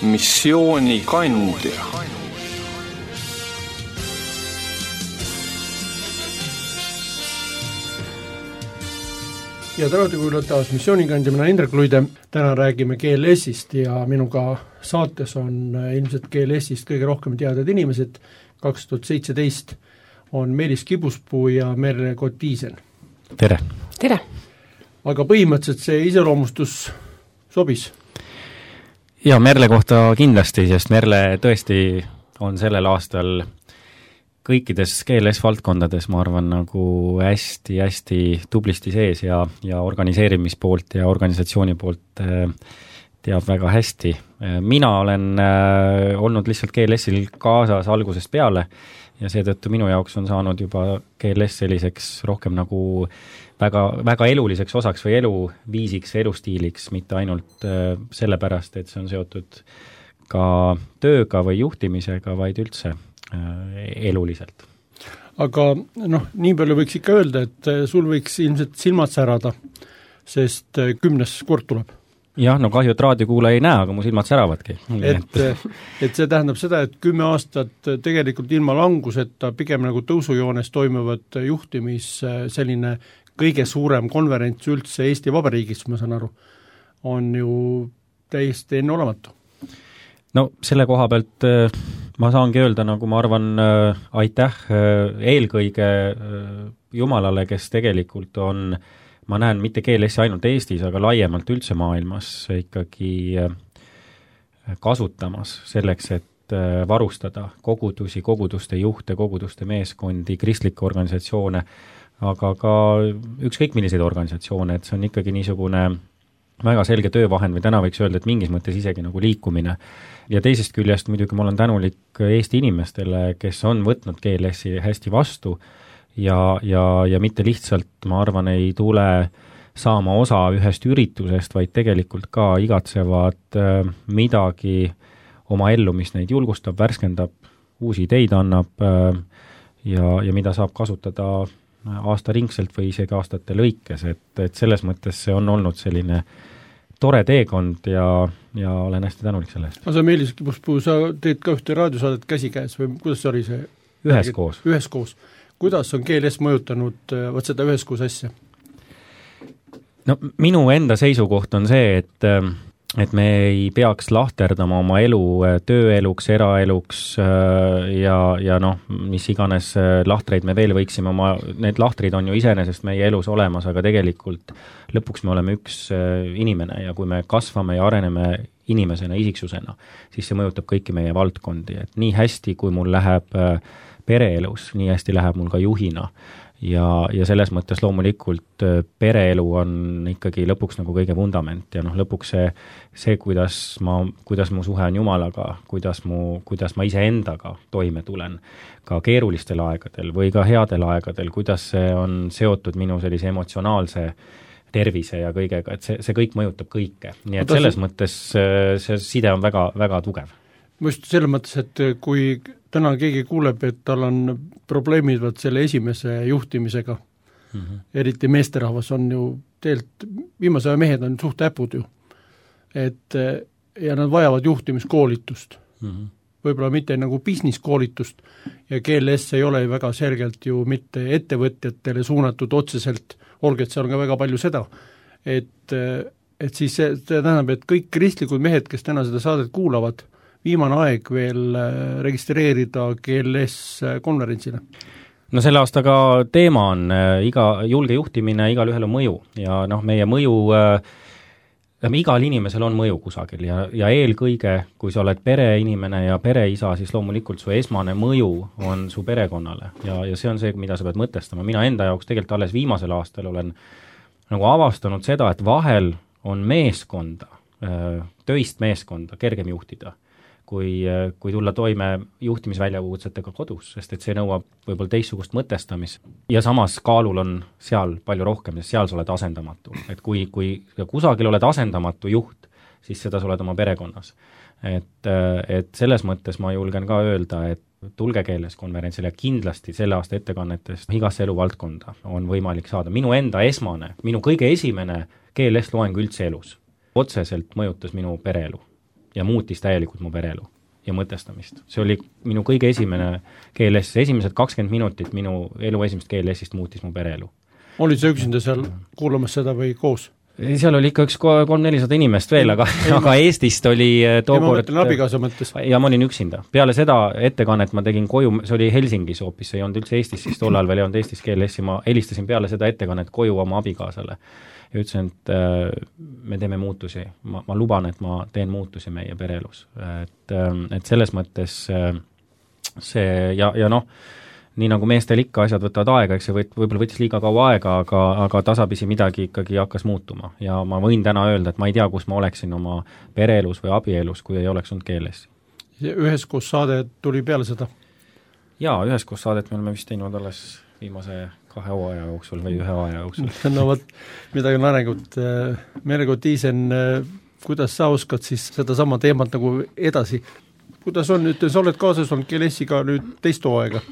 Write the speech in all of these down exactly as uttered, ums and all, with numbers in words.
missioonikandja. ja tere kuulata taas missioonikandja, mina Indrek Luide. Täna räägime G L S-ist ja minuga saates on ilmselt G L S-ist kõige rohkem teadvad inimesed. kaks tuhat seitseteist on Meelis Kibuspuu ja Merle Kotiisen. Tere! Tere! Aga põhimõtteliselt see iseloomustus sobis? Ja Merle kohta kindlasti, sest Merle tõesti on sellel aastal kõikides G L S-valdkondades, ma arvan, nagu hästi-hästi tublisti sees ja, ja organiseerimispoolt ja organisatsiooni poolt äh, teab väga hästi. Mina olen äh, olnud lihtsalt G L S-il kaasas algusest peale ja seetõttu minu jaoks on saanud juba G L S selliseks rohkem nagu väga, väga eluliseks osaks või eluviisiks, elustiiliks, mitte ainult äh, sellepärast, et see on seotud ka tööga või juhtimisega, vaid üldse eluliselt. Aga noh, nii palju võiks ikka öelda, et sul võiks ilmselt silmad särada, sest kümnes kord tuleb. Jah, no kahju, et raadiokuula ei näe, aga mu silmad säravadki. Et, et see tähendab seda, et kümme aastat tegelikult ilma languseta pigem nagu tõusujoones toimuvad juhtimis selline kõige suurem konverents üldse Eesti Vabariigis, ma saan aru, on ju täiesti enneolematu. No selle koha pealt ma saangi öelda, nagu ma arvan, äh, aitäh äh, eelkõige äh, Jumalale, kes tegelikult on, ma näen mitte G L S ainult Eestis, aga laiemalt üldse maailmas ikkagi äh, kasutamas selleks, et äh, varustada kogudusi, koguduste juhte, koguduste meeskondi, kristlikke organisatsioone, aga ka ükskõik milliseid organisatsioone, et see on ikkagi niisugune väga selge töövahend või täna võiks öelda, et mingis mõttes isegi nagu liikumine. Ja teisest küljest muidugi ma olen tänulik Eesti inimestele, kes on võtnud G L S-i hästi vastu ja, ja, ja mitte lihtsalt, ma arvan, ei tule saama osa ühest üritusest, vaid tegelikult ka igatsevad äh, midagi oma ellu, mis neid julgustab, värskendab, uusi ideid annab äh, ja, ja mida saab kasutada aastaringselt või isegi aastate lõikes, et, et selles mõttes see on olnud selline tore teekond ja, ja olen hästi tänulik selle eest. Aga sa, Meelis Kibuspuu, sa teed ka ühte raadiosaadet käsikäes või kuidas see oli see? Üheskoos. Üheskoos. Kuidas on G L S mõjutanud võt seda üheskoos asja? No minu enda seisukoht on see, et et me ei peaks lahterdama oma elu tööeluks, eraeluks ja, ja noh, mis iganes lahtreid me veel võiksime oma, need lahtrid on ju iseenesest meie elus olemas, aga tegelikult lõpuks me oleme üks inimene ja kui me kasvame ja areneme inimesena, isiksusena, siis see mõjutab kõiki meie valdkondi, et nii hästi, kui mul läheb pereelus, nii hästi läheb mul ka juhina. Ja, ja selles mõttes loomulikult pereelu on ikkagi lõpuks nagu kõige vundament ja noh, lõpuks see, see kuidas, ma, kuidas mu suhe on Jumalaga, kuidas, mu, kuidas ma ise endaga toime tulen ka keerulistel aegadel või ka headel aegadel, kuidas see on seotud minu sellise emotsionaalse tervise ja kõigega, et see, see kõik mõjutab kõike. Nii et selles mõttes see side on väga, väga tugev. Ma just selles mõttes, et kui täna keegi kuuleb, et tal on probleemid võt selle esimese juhtimisega, mm-hmm. eriti meesterahvas on ju, teelt viimase aja mehed on suht äpud ju, et ja nad vajavad juhtimiskoolitust. Mm-hmm. Võib-olla mitte nagu business-koolitust ja G L S ei ole väga selgelt ju mitte ettevõtjatele suunatud otseselt, olge, et seal on ka väga palju seda, et, et siis see, see tähendab, et kõik kristlikud mehed, kes täna seda saadet kuulavad, viimane aeg veel registreerida G L S konverentsile? No selle aastaga teema on iga julge juhtimine, igal ühel on mõju ja noh, meie mõju, äh, igal inimesel on mõju kusagil ja, ja eelkõige, kui sa oled pereinimene ja pereisa, siis loomulikult su esmane mõju on su perekonnale ja, ja see on see, mida sa pead mõtestama. Mina enda jaoks tegelikult alles viimasel aastal olen nagu avastanud seda, et vahel on meeskonda, töist meeskonda kergem juhtida kui, kui tulla toime juhtimisväljakutsetega kodus, sest et see nõuab võib-olla teistsugust mõtestamist. Ja samas kaalul on seal palju rohkem, sest seal sa oled asendamatu. Et kui, kui kusagil oled asendamatu juht, siis seda sa oled oma perekonnas. Et, et selles mõttes ma julgen ka öelda, et tulge G L S konverentsile ja kindlasti selle aasta ettekannetest igasse eluvaldkonda on võimalik saada. Minu enda esmane, minu kõige esimene G L S loeng üldse elus otseselt mõjutas minu pereelu. ja muutis täielikult mu pereelu ja mõtestamist. See oli minu kõige esimene G L S, esimesed kakskümmend minutit minu elu esimest G L S-ist muutis mu pereelu. Olid sa üksinda seal kuulamas seda või koos? Seal oli ikka üks kolm-nelisada inimest veel, aga, aga Eestist oli tookord... Ja ma abikaasa mõttes. Ja ma olin üksinda. Peale seda ettekannet ma tegin koju, see oli Helsingis hoopis, see ei olnud üldse Eestis, siis tollal veel ei olnud Eestis G L S-i, ma helistasin peale seda ettekannet koju oma abikaasale ja ütlesin, et äh, me teeme muutusi. Ma, ma luban, et ma teen muutusi meie pereelus. Et, äh, et selles mõttes äh, see ja, ja noh, nii nagu meestel ikka asjad võtavad aega, eks see võt, võib-olla võttis liiga kaua aega, aga, aga tasapisi midagi ikkagi hakkas muutuma. Ja ma võin täna öelda, et ma ei tea, kus ma oleksin oma pereelus või abielus, kui ei oleks olnud G L S. Üheskoos saade tuli peale seda? Jaa, üheskoos saadet me oleme vist teinud alles viimase kahe hooaja jooksul või ühe hooaja jooksul. No võt, midagi on arengut. Mergo Tiisen, kuidas sa oskad siis seda sama teemat nagu edasi? Kuidas on nüüd, sa oled kaasas olnud G L S-iga nüüd teist hooaega?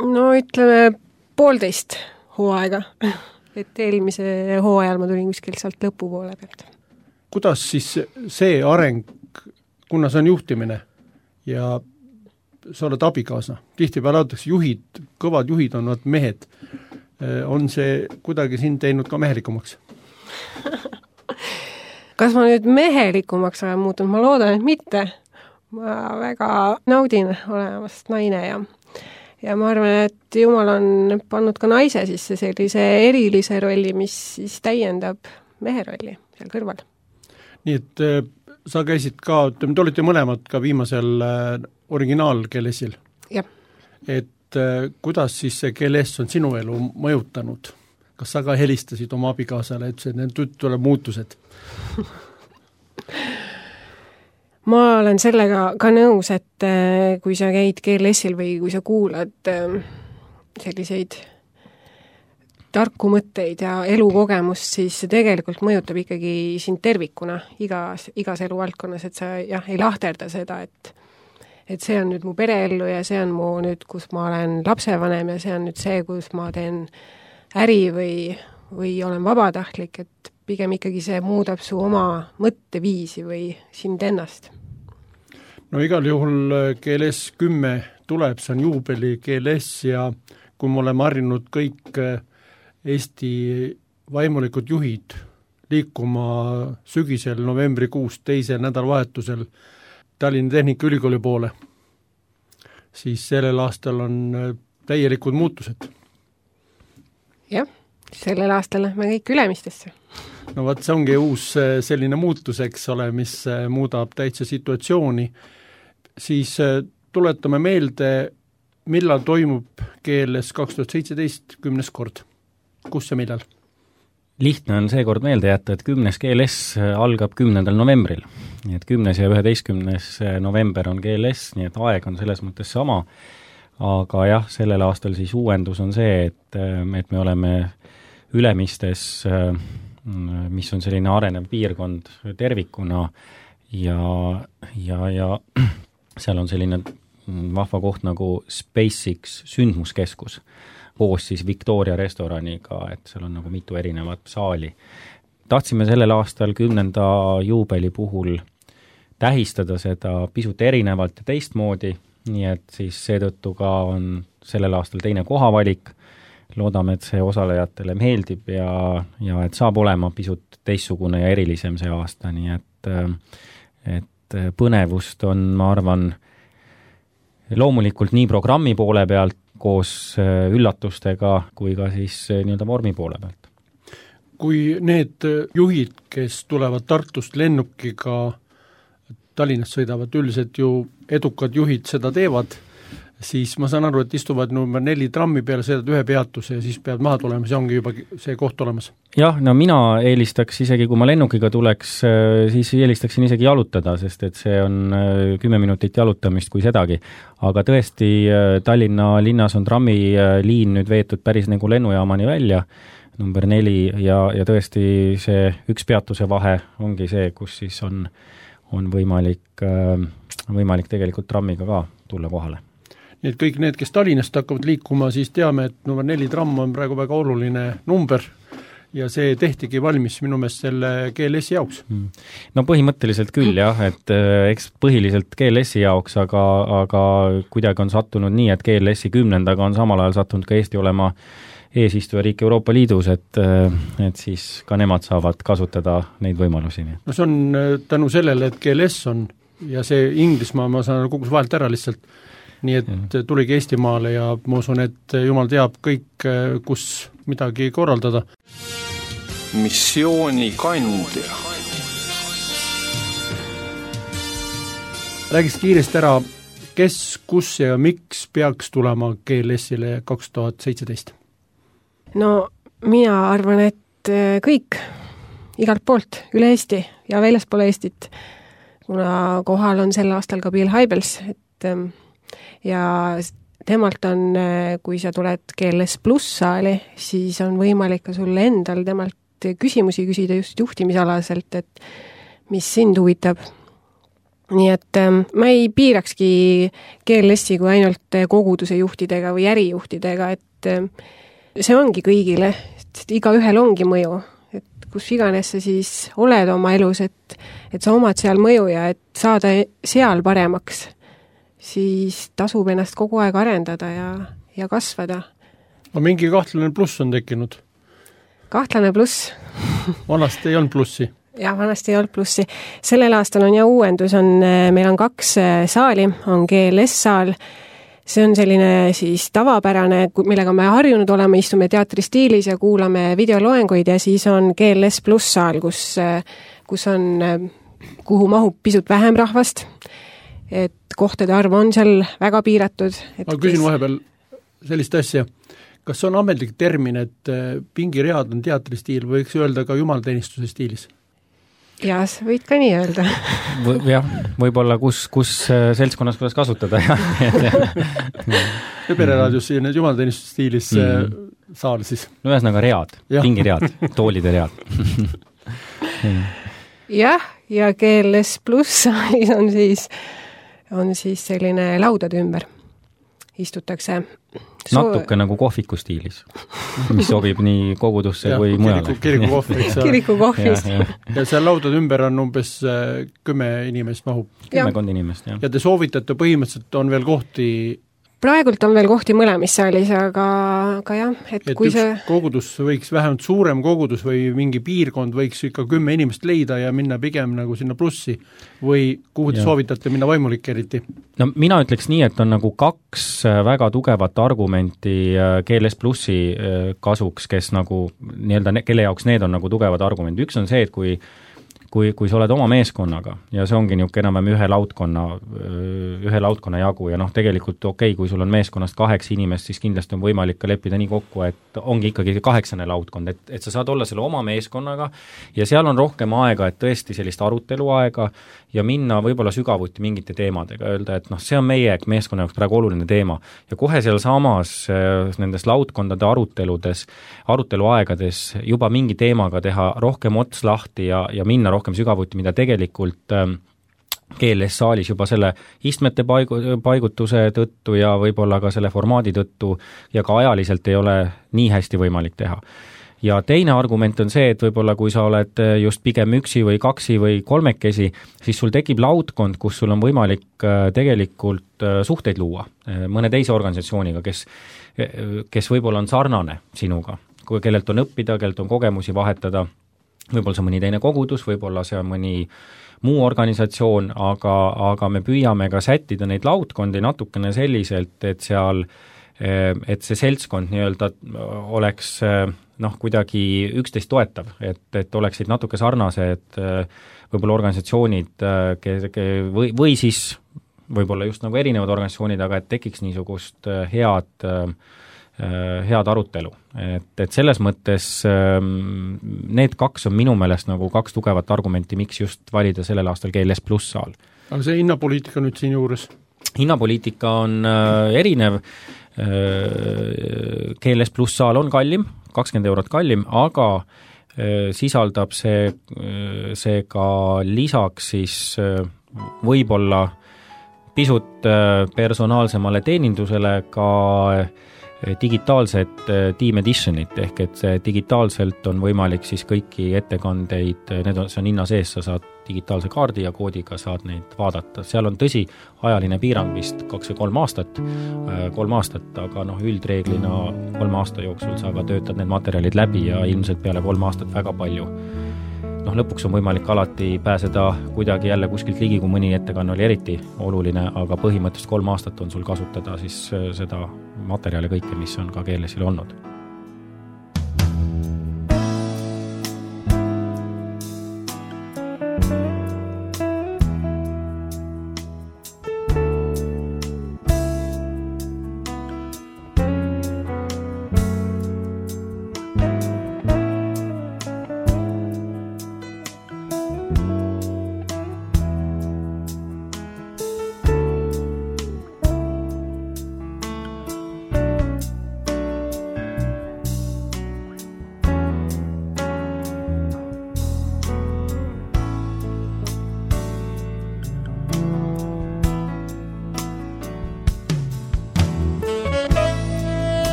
No ütleme poolteist hooaega, et eelmise hooajal ma tulin kuskil sealt lõpupoole pealt. Kuidas siis see areng, kuna see on juhtimine ja sa oled abikaasa, tihtipeale öeldakse juhid, kõvad juhid on nad mehed, on see kuidagi sind teinud ka mehelikumaks? Kas ma nüüd mehelikumaks olen muutunud? Ma loodan, et mitte. Ma väga naudin olemast naine ja Ja ma arvan, et Jumal on pannud ka naise sisse sellise erilise rolli, mis siis täiendab mehe rolli seal kõrval. Nii et äh, sa käisid ka, te olite mõlemad ka viimasel äh, originaal G L S-il. Jah. Et äh, kuidas siis see G L S on sinu elu mõjutanud? Kas sa ka helistasid oma abikaasale, et see need tuleb muutused? Ma olen sellega ka nõus, et kui sa käid G L S-il või kui sa kuulad selliseid tarku mõtteid ja elukogemust, siis see tegelikult mõjutab ikkagi sind tervikuna igas, igas eluvaldkonnas, et sa jah, ei lahterda seda, et et see on nüüd mu pereellu ja see on mu nüüd, kus ma olen lapsevanem ja see on nüüd see, kus ma teen äri või, või olen vabatahtlik, et pigem ikkagi see muudab su oma mõtteviisi või sind ennast. No igal juhul G L S kümme tuleb, see on juubeli G L S ja kui me oleme harjunud kõik Eesti vaimulikud juhid liikuma sügisel novembrikuus teisel nädalavahetusel Tallinna Tehnikaülikooli poole, siis sellel aastal on täielikud muutused. Jah, sellel aastal lähme kõik Ülemistesse. No vaat see ongi uus selline muutus, eks ole, mis muudab täitsa situatsiooni. Siis tuletame meelde, millal toimub G L S kaks tuhat seitseteist kümnes kord. Kus ja millal? Lihtne on seekord meelde jätta, et kümnes G L S algab kümnendal novembril. Nii et kümnes ja üheteistkümnes november on G L S, nii et aeg on selles mõttes sama. Aga jah, sellel aastal siis uuendus on see, et, et me oleme Ülemistes, mis on selline arenev piirkond tervikuna ja, ja, ja seal on selline vahva koht nagu SpaceX sündmuskeskus koos siis Victoria restoraniga, et seal on nagu mitu erinevat saali. Tahtsime sellel aastal kümnenda juubeli puhul tähistada seda pisut erinevalt ja teistmoodi, nii et siis seetõttu ka on sellel aastal teine kohavalik. Loodame, et see osalejatele meeldib ja, ja et saab olema pisut teistsugune ja erilisem see aasta, nii et, et põnevust on, ma arvan, loomulikult nii programmi poole pealt koos üllatustega kui ka siis nii-öelda vormi poole pealt. Kui need juhid, kes tulevad Tartust lennukiga Tallinnast sõidavad, üldiselt ju edukad juhid seda teevad, siis ma saan aru, et istuvad number neli trammi peale, sõidad ühe peatuse ja siis pead maha tulema, see ongi juba see koht olemas. Jah, no mina eelistaks isegi, kui ma lennukiga tuleks, siis eelistaksin isegi jalutada, sest et see on kümme minutit jalutamist kui sedagi. Aga tõesti, Tallinna linnas on trammiliin nüüd veetud päris nagu lennujaamani välja, number neli, ja, ja tõesti see üks peatuse vahe ongi see, kus siis on, on võimalik, võimalik tegelikult trammiga ka tulla kohale. Nii et kõik need, kes Tallinnast hakkavad liikuma, siis teame, et number neli tramm on praegu väga oluline number ja see tehtigi valmis minu meelest selle G L S-i jaoks. No põhimõtteliselt küll jah, et eks põhiliselt G L S-i jaoks, aga, aga kuidagi on sattunud nii, et G L S-i kümnendaga on samal ajal sattunud ka Eesti olema eesistujariik Euroopa Liidus, et, et siis ka nemad saavad kasutada neid võimalusi. No see on tänu sellele, et G L S on ja see Inglismaa, ma saan kogus vahelt ära lihtsalt, nii et ja. tuligi Eestimaale ja ma usun, et jumal teab kõik, kus midagi korraldada. Missiooni kandja. Räägiks kiiresti ära, kes, kus ja miks peaks tulema G L S-ile kaks tuhat seitseteist? No mina arvan, et kõik, igalt poolt, üle Eesti ja väljaspool Eestit, kuna kohal on sel aastal ka Bill Hybels, et ja temalt on, kui sa tuled G L S pluss saali, siis on võimalik ka sulle endal temalt küsimusi küsida just juhtimisalaselt, et mis sind huvitab. Nii et ma ei piirakski G L S-i kui ainult koguduse juhtidega või ärijuhtidega, et see ongi kõigile, et iga ühel ongi mõju, et kus iganes sa siis oled oma elus, et, et sa omad seal mõju ja et saada seal paremaks, siis tasub ennast kogu aeg arendada ja, ja kasvada. No mingi kahtlane pluss on tekkinud. Kahtlane pluss. Vanasti ei olnud plussi. Jah, vanasti ei olnud plussi. Sellel aastal on ja uuendus, on, meil on kaks saali, on G L S-saal, see on selline siis tavapärane, millega me harjunud oleme, istume teatristiilis ja kuulame videoloenguid ja siis on G L S pluss saal, kus, kus on, kuhu mahub pisut vähem rahvast, et kohtade arv on seal väga piiratud. Ma küsin vahepeal sellist asja, kas on ametlik termin, et pingiread on teatristiil, võiks öelda ka jumalateenistuse stiilis? Jaa, sa võid ka nii öelda. v- jah, võib-olla kus, kus seltskonnas kuidas kasutada. ja pereraadios siin jumalateenistuse stiilis mm. saal siis. No ühesõnaga read, pingiread, toolide read. jah, ja G L S pluss saalis on siis, on siis selline laudade ümber. Istutakse So... natuke nagu kohviku stiilis, mis sobib nii kogudusse ja, kui mujale. Kiriku kohvis. Kiriku kohvis. Ja, ja. ja seal laudade ümber on umbes kümme inimest mahub. Kümmekond inimest, jah. Ja te soovitate, põhimõtteliselt on veel kohti... Praegult on veel kohti mõlemis saalis, aga, aga jah, et, et kui üks see... kogudus võiks, vähemalt suurem kogudus või mingi piirkond võiks ikka kümme inimest leida ja minna pigem nagu sinna plussi või kuhu te ja. soovitate minna vaimulik eriti? No mina ütleks nii, et on nagu kaks väga tugevat argumenti G L S plussi kasuks, kes nagu, nii-öelda, kelle jaoks need on nagu tugevad argumendid. Üks on see, et kui Kui, kui sa oled oma meeskonnaga ja see ongi niisugune enam-vähem ühe laudkonna, ühe laudkonna jagu ja noh, tegelikult okei okay,, kui sul on meeskonnast kaheksa inimest, siis kindlasti on võimalik ka leppida nii kokku, et ongi ikkagi kaheksane laudkond, et, et sa saad olla selle oma meeskonnaga ja seal on rohkem aega, et tõesti sellist aruteluaega ja minna võib-olla sügavuti mingite teemadega, öelda, et noh, see on meie meeskonna jaoks praegu oluline teema ja kohe seal samas nendes laudkondade aruteludes, aruteluaegades juba mingi teemaga teha rohkem ots lahti ja, ja minna rohkem rohkem sügavuti, mida tegelikult ähm, G L S saalis juba selle istmete paigu, paigutuse tõttu ja võib-olla ka selle formaadi tõttu ja ka ajaliselt ei ole nii hästi võimalik teha. Ja teine argument on see, et võib-olla kui sa oled just pigem üksi või kaksi või kolmekesi, siis sul tekib laudkond, kus sul on võimalik tegelikult suhteid luua mõne teise organisatsiooniga, kes, kes võib-olla on sarnane sinuga, kellelt on õppida, kellelt on kogemusi vahetada, võib-olla see on mõni teine kogudus, võib-olla see on mõni muu organisatsioon, aga, aga me püüame ka sättida neid laudkondi natukene selliselt, et seal, et see seltskond nii-öelda oleks noh, kuidagi üksteist toetav, et, et oleksid natuke sarnased võib-olla organisatsioonid või, või siis võib-olla just nagu erinevad organisatsioonid, aga et tekiks niisugust head head arutelu. Et, et selles mõttes need kaks on minu meelest nagu kaks tugevat argumenti, miks just valida sellel aastal G L S pluss saal. Aga see hinnapoliitika nüüd siin juures? Hinnapoliitika on äh, erinev. Äh, G L S pluss saal on kallim, kakskümmend eurot kallim, aga äh, sisaldab see, äh, see ka lisaks siis äh, võib-olla pisut äh, personaalsemale teenindusele ka äh, digitaalset Team Editionit, ehk et see digitaalselt on võimalik siis kõiki ettekandeid, need on, see on hinna sees, sa saad digitaalse kaardi ja koodiga saad neid vaadata. Seal on tõsi, ajaline piirang vist kaks või kolm aastat, kolm aastat, aga noh, üldreeglina kolme aasta jooksul sa ka töötad need materjalid läbi ja ilmselt peale kolm aastat väga palju. Noh, lõpuks on võimalik alati pääseda kuidagi jälle kuskilt ligi, kui mõni ettekanne oli eriti oluline, aga põhimõtteliselt kolm aastat on sul kasutada siis seda materjali kõike, mis on ka keelesil olnud.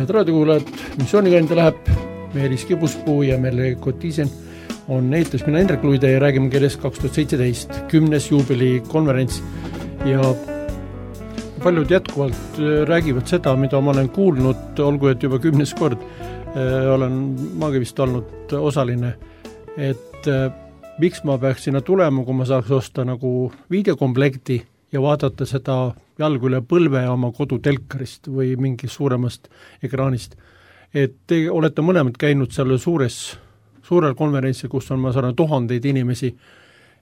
Head raadiokuulajad, missioonikandia läheb, Meelis Kibuspuu ja Merle Kotiisen on eetris, mina Hendrik Luide ja räägime keeles kaks tuhat seitseteist kümnes juubeli konverents ja paljud jätkuvalt räägivad seda, mida ma olen kuulnud, olgu et juba kümnes kord äh, olen maagi vist olnud osaline, et äh, miks ma peaks sinna tulema, kui ma saaks osta nagu videokomplekti ja vaadata seda jalgu üle põlve oma kodutelkarist või mingist suuremast ekraanist. Et te olete mõlemad käinud selle suures, suurel konverentsil, kus on, ma saan tuhandeid inimesi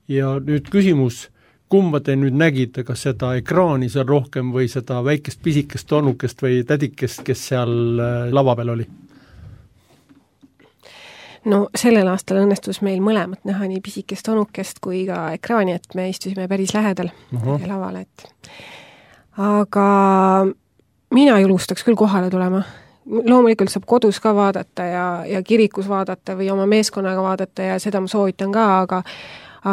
ja nüüd küsimus, kumba te nüüd nägite, kas seda ekraani seal rohkem või seda väikest pisikest tonukest või tädikest, kes seal lava peal oli? No sellel aastal õnnestus meil mõlemat näha nii pisikest tonukest kui ka ekraani, et me istusime päris lähedal uh-huh. lavale, et aga mina julgustaks küll kohale tulema. Loomulikult saab kodus ka vaadata ja, ja kirikus vaadata või oma meeskonnaga vaadata ja seda ma soovitan ka, aga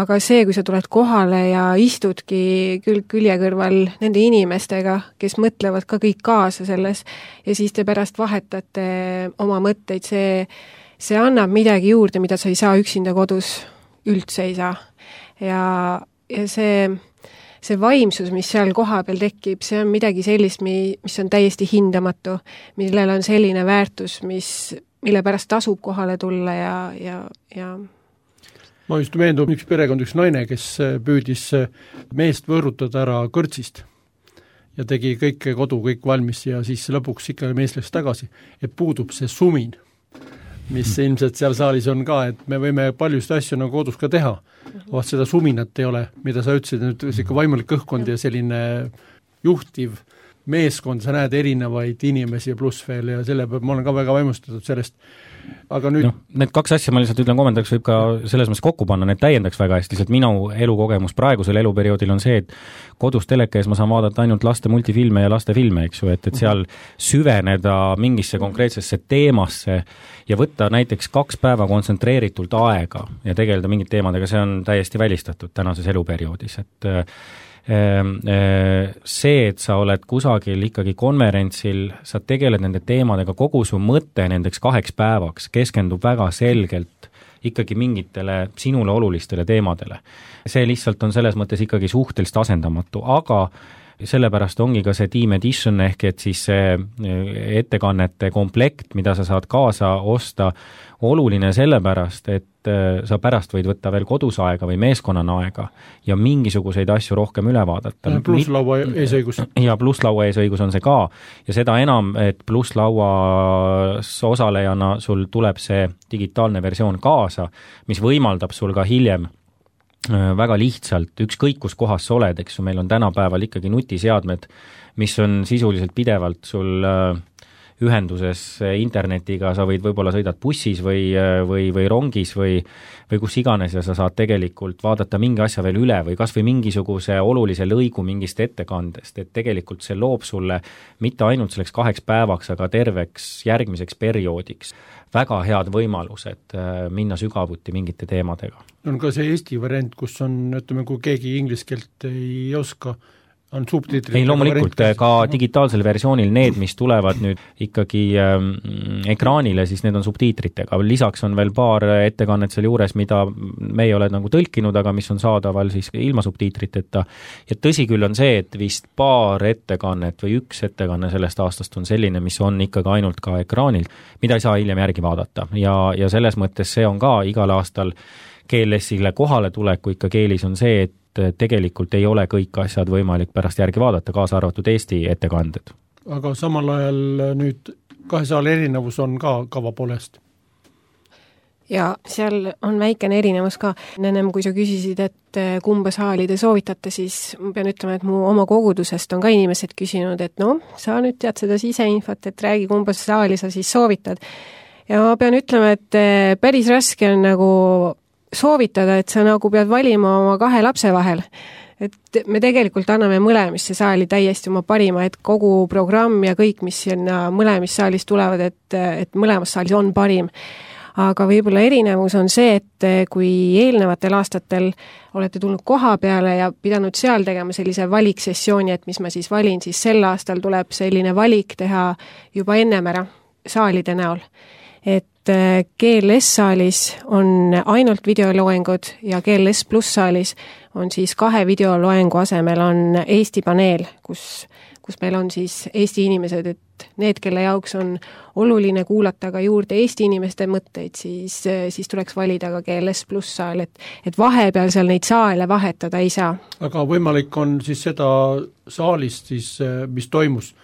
aga see, kui sa tuled kohale ja istudki külg külje kõrval nende inimestega, kes mõtlevad ka kõik kaasa selles ja siis te pärast vahetate oma mõtteid, see, see annab midagi juurde, mida sa ei saa üksinda kodus, üldse ei saa. Ja, ja see see vaimsus, mis seal koha peal tekib, see on midagi sellist, mis on täiesti hindamatu, millel on selline väärtus, mis, mille pärast tasub kohale tulla ja, ja, ja ma just meendub üks perekond, üks naine, kes püüdis meest võõrutada ära kõrtsist ja tegi kõik kodu, kõik valmis ja siis lõpuks ikka mees läks tagasi, et puudub see sumin, mis ilmselt seal saalis on ka, et me võime paljusid asju nagu kodus ka teha, vaat seda suminat ei ole, mida sa ütlesid, nüüd ikka vaimulik õhkkond ja selline juhtiv, meeskond, sa näed erinevaid inimesi pluss veel ja selle peab, ma olen ka väga vaimustatud sellest. Aga nüüd no, need kaks asja ma lihtsalt ütlen kommentaariks, võib ka selles mõttes kokku panna, need täiendaks väga hästi, lihtsalt minu elukogemus praegusel eluperioodil on see, et kodus teleka ees ma saan vaadata ainult laste multifilme ja laste filme, eks ju, et, et seal süveneda mingisse konkreetsesse teemasse ja võtta näiteks kaks päeva kontsentreeritult aega ja tegeleda mingite teemadega, see on täiesti välistatud tänases eluperioodis, et see, et sa oled kusagil ikkagi konverentsil, sa tegeled nende teemadega, kogu su mõte nendeks kaheks päevaks keskendub väga selgelt ikkagi mingitele sinule olulistele teemadele. See lihtsalt on selles mõttes ikkagi suhteliselt asendamatu, aga sellepärast ongi ka see Team Edition ehk et siis see ettekannete komplekt, mida sa saad kaasa osta, oluline sellepärast, et sa pärast võid võtta veel kodus aega või meeskonnana aega ja mingisuguseid asju rohkem üle vaadata. Plusslaua eesõigus. Ja plusslaua eesõigus on see ka. Ja seda enam, et plusslauas osalejana sul tuleb see digitaalne versioon kaasa, mis võimaldab sul ka hiljem väga lihtsalt, ükskõik kus kohas sa oled, eks ju, meil on tänapäeval ikkagi nutiseadmed, mis on sisuliselt pidevalt sul ühenduses internetiga, sa võid võib-olla sõidad bussis või, või, või rongis või, või kus iganes ja sa saad tegelikult vaadata mingi asja veel üle või kas või mingisuguse olulise lõigu mingist ettekandest, et tegelikult see loob sulle mitte ainult selleks kaheks päevaks, aga terveks järgmiseks perioodiks väga head võimalused minna sügavuti mingite teemadega. On ka see Eesti variant, kus on, ütleme, kui keegi inglise keelt ei oska, on subtiitrid. Ei, loomulikult ka digitaalsel versioonil need, mis tulevad nüüd ikkagi ähm, ekraanile, siis need on subtiitritega. Lisaks on veel paar ettekannet seal juures, mida me ei ole nagu tõlkinud, aga mis on saadaval siis ilma subtiitriteta. Ja tõsi küll on see, et vist paar ettekannet või üks ettekanne sellest aastast on selline, mis on ikkagi ainult ka ekraanil, mida ei saa hiljem järgi vaadata. Ja, ja selles mõttes see on ka igal aastal G L S-ile kohale tuleku ikka keelis on see, et tegelikult ei ole kõik asjad võimalik pärast järgi vaadata, kaasa arvatud Eesti ettekanded. Aga samal ajal nüüd kahe saali erinevus on ka kava poolest? Ja seal on väikene erinevus ka. Ennem kui sa küsisid, et kumba saali te soovitate, siis ma pean ütlema, et mu oma kogudusest on ka inimesed küsinud, et no, sa nüüd tead seda siseinfot, et räägi, kumba saali sa siis soovitad. Ja ma pean ütlema, et päris raske on nagu soovitada, et sa nagu pead valima oma kahe lapse vahel. Et me tegelikult anname mõlemisse saali täiesti oma parima, et kogu programm ja kõik, mis sinna mõlemis saalis tulevad, et, et mõlemas saalis on parim. Aga võib-olla erinevus on see, et kui eelnevatel aastatel olete tulnud koha peale ja pidanud seal tegema sellise valiksessiooni, et mis ma siis valin, siis sel aastal tuleb selline valik teha juba ennem ära saalide näol. Et G L S-saalis on ainult videoloengud ja G L S pluss saalis on siis kahe videoloengu asemel on Eesti paneel, kus, kus meil on siis Eesti inimesed, et need, kelle jaoks on oluline kuulata ka juurde Eesti inimeste mõtteid, siis, siis tuleks valida ka G L S pluss saal, et, et vahepeal seal neid saale vahetada ei saa. Aga võimalik on siis seda saalist, siis, mis toimus,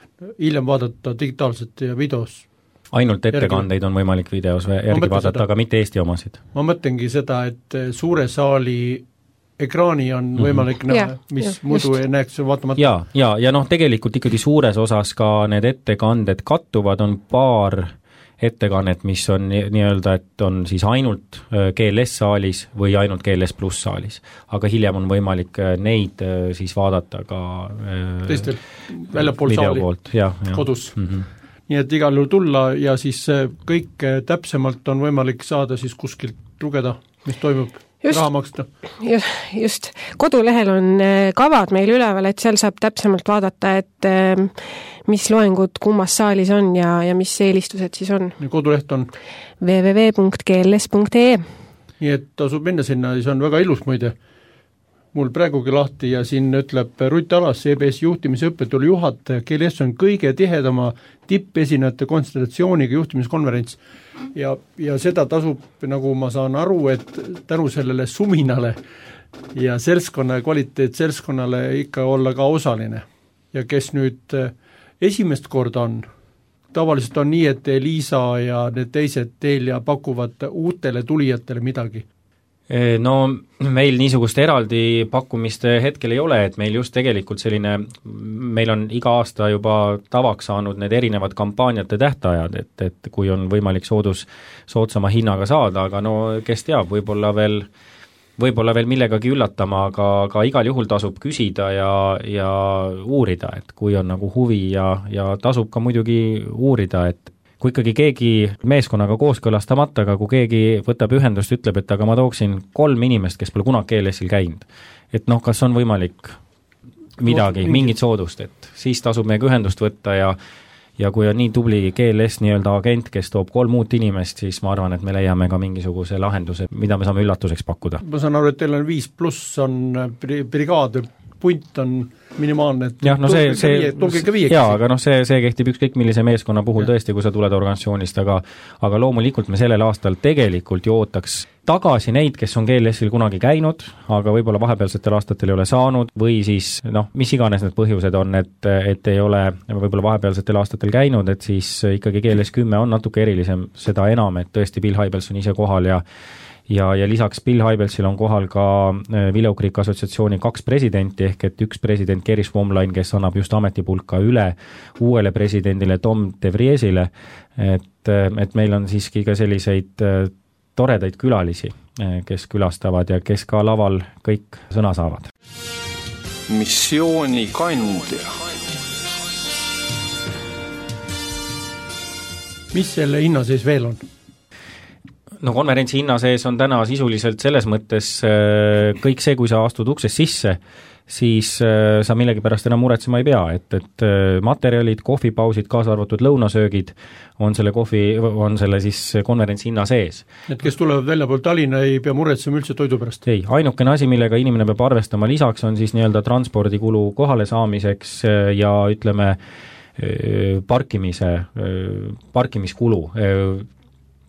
hiljem vaadata digitaalselt ja videos? Ainult ettekandeid on võimalik videos järgi vaadata, seda, aga mitte Eesti omasid. Ma mõtlengi seda, et suure saali ekraani on võimalik mm-hmm. näha, mis ja, muidu ei näeks vaatamata. Ja, ja, ja noh, tegelikult ikkagi suures osas ka need ettekanded kattuvad, on paar ettekannet, mis on nii-öelda, et on siis ainult G L S-saalis või ainult G L S pluss saalis. Aga hiljem on võimalik neid siis vaadata ka teistel väljapool saali poolt, ja, ja. kodus. Mm-hmm. Nii et igal juhul tulla ja siis kõik täpsemalt on võimalik saada siis kuskilt lugeda, mis toimub, just, raha maksta. Just, just. Kodulehel on kavad meil üleval, et seal saab täpsemalt vaadata, et mis loengud kummas saalis on ja, ja mis eelistused siis on. Ja koduleht on? w w w punkt g l s punkt e e. Nii et tasub minna sinna, siis on väga ilus muide. Mul praegugi lahti ja siin ütleb Rutt Alas, E B S juhtimise õppetulu juhataja, G L S on kõige tihedama tippesinejate konstellatsiooniga juhtimiskonverents ja, ja seda tasub, nagu ma saan aru, et tänu sellele suminale ja seltskonna kvaliteet seltskonnale ikka olla ka osaline. Ja kes nüüd esimest korda on, tavaliselt on nii, et Liisa ja need teised Telia pakuvad uutele tulijatele midagi. No meil niisugust eraldi pakkumist hetkel ei ole, et meil just tegelikult selline, meil on iga aasta juba tavaks saanud need erinevad kampaaniate tähtajad, et, et kui on võimalik soodus, soodsama hinnaga saada, aga no kes teab, võib-olla veel, võib-olla veel millegagi üllatama, aga, aga igal juhul tasub küsida ja, ja uurida, et kui on nagu huvi ja, ja tasub ka muidugi uurida, et kui ikkagi keegi meeskonnaga kooskõlastamata, aga kui keegi võtab ühendust, ütleb, et aga ma tooksin kolm inimest, kes pole kunagi G L S-il käinud. Et noh, kas on võimalik midagi, mingit soodust, et siis tasub meiega ühendust võtta ja ja kui on nii tubli G L S nii-öelda agent, kes toob kolm uut inimest, siis ma arvan, et me leiame ka mingisuguse lahenduse, mida me saame üllatuseks pakkuda. Ma saan aru, et teil on viis pluss, on brigaad, punt on minimaalne, et jah, no see, see, viie, jaa, aga noh, see, see kehtib ükskõik millise meeskonna puhul ja. Tõesti, kui sa tuled organisatsioonist, aga aga loomulikult me sellel aastal tegelikult ju ootaks tagasi neid, kes on G L S-il kunagi käinud, aga võib-olla vahepealsetel aastatel ei ole saanud, või siis noh, mis iganes need põhjused on, et, et ei ole võib-olla vahepealsetel aastatel käinud, et siis ikkagi G L S kümme on natuke erilisem, seda enam, et tõesti Bill Hybels on ise kohal ja ja, ja lisaks Bill Hybelsil on kohal ka Vileukriik assotsiatsiooni kaks presidenti, ehk et üks president Gary Swomline, kes annab just ametipulka üle uuele presidendile Tom DeVriesile, et, et meil on siiski ka selliseid toredaid külalisi, kes külastavad ja kes ka laval kõik sõna saavad. Missiooni kandja. Mis selle hinna sees veel on? No konverentsi hinna sees on täna sisuliselt selles mõttes kõik see, kui sa astud uksest sisse, siis sa millegipärast enam muretsema ei pea, et, et materjalid, kohvipausid, kaasa arvatud lõunasöögid on selle kohvi, on selle siis konverentsi hinna sees. Et kes tulevad välja pool Tallinna, ei pea muretsema üldse toidu pärast? Ei, ainukene asi, millega inimene peab arvestama lisaks, on siis nii-öelda transpordikulu kohale saamiseks ja ütleme parkimise, parkimiskulu.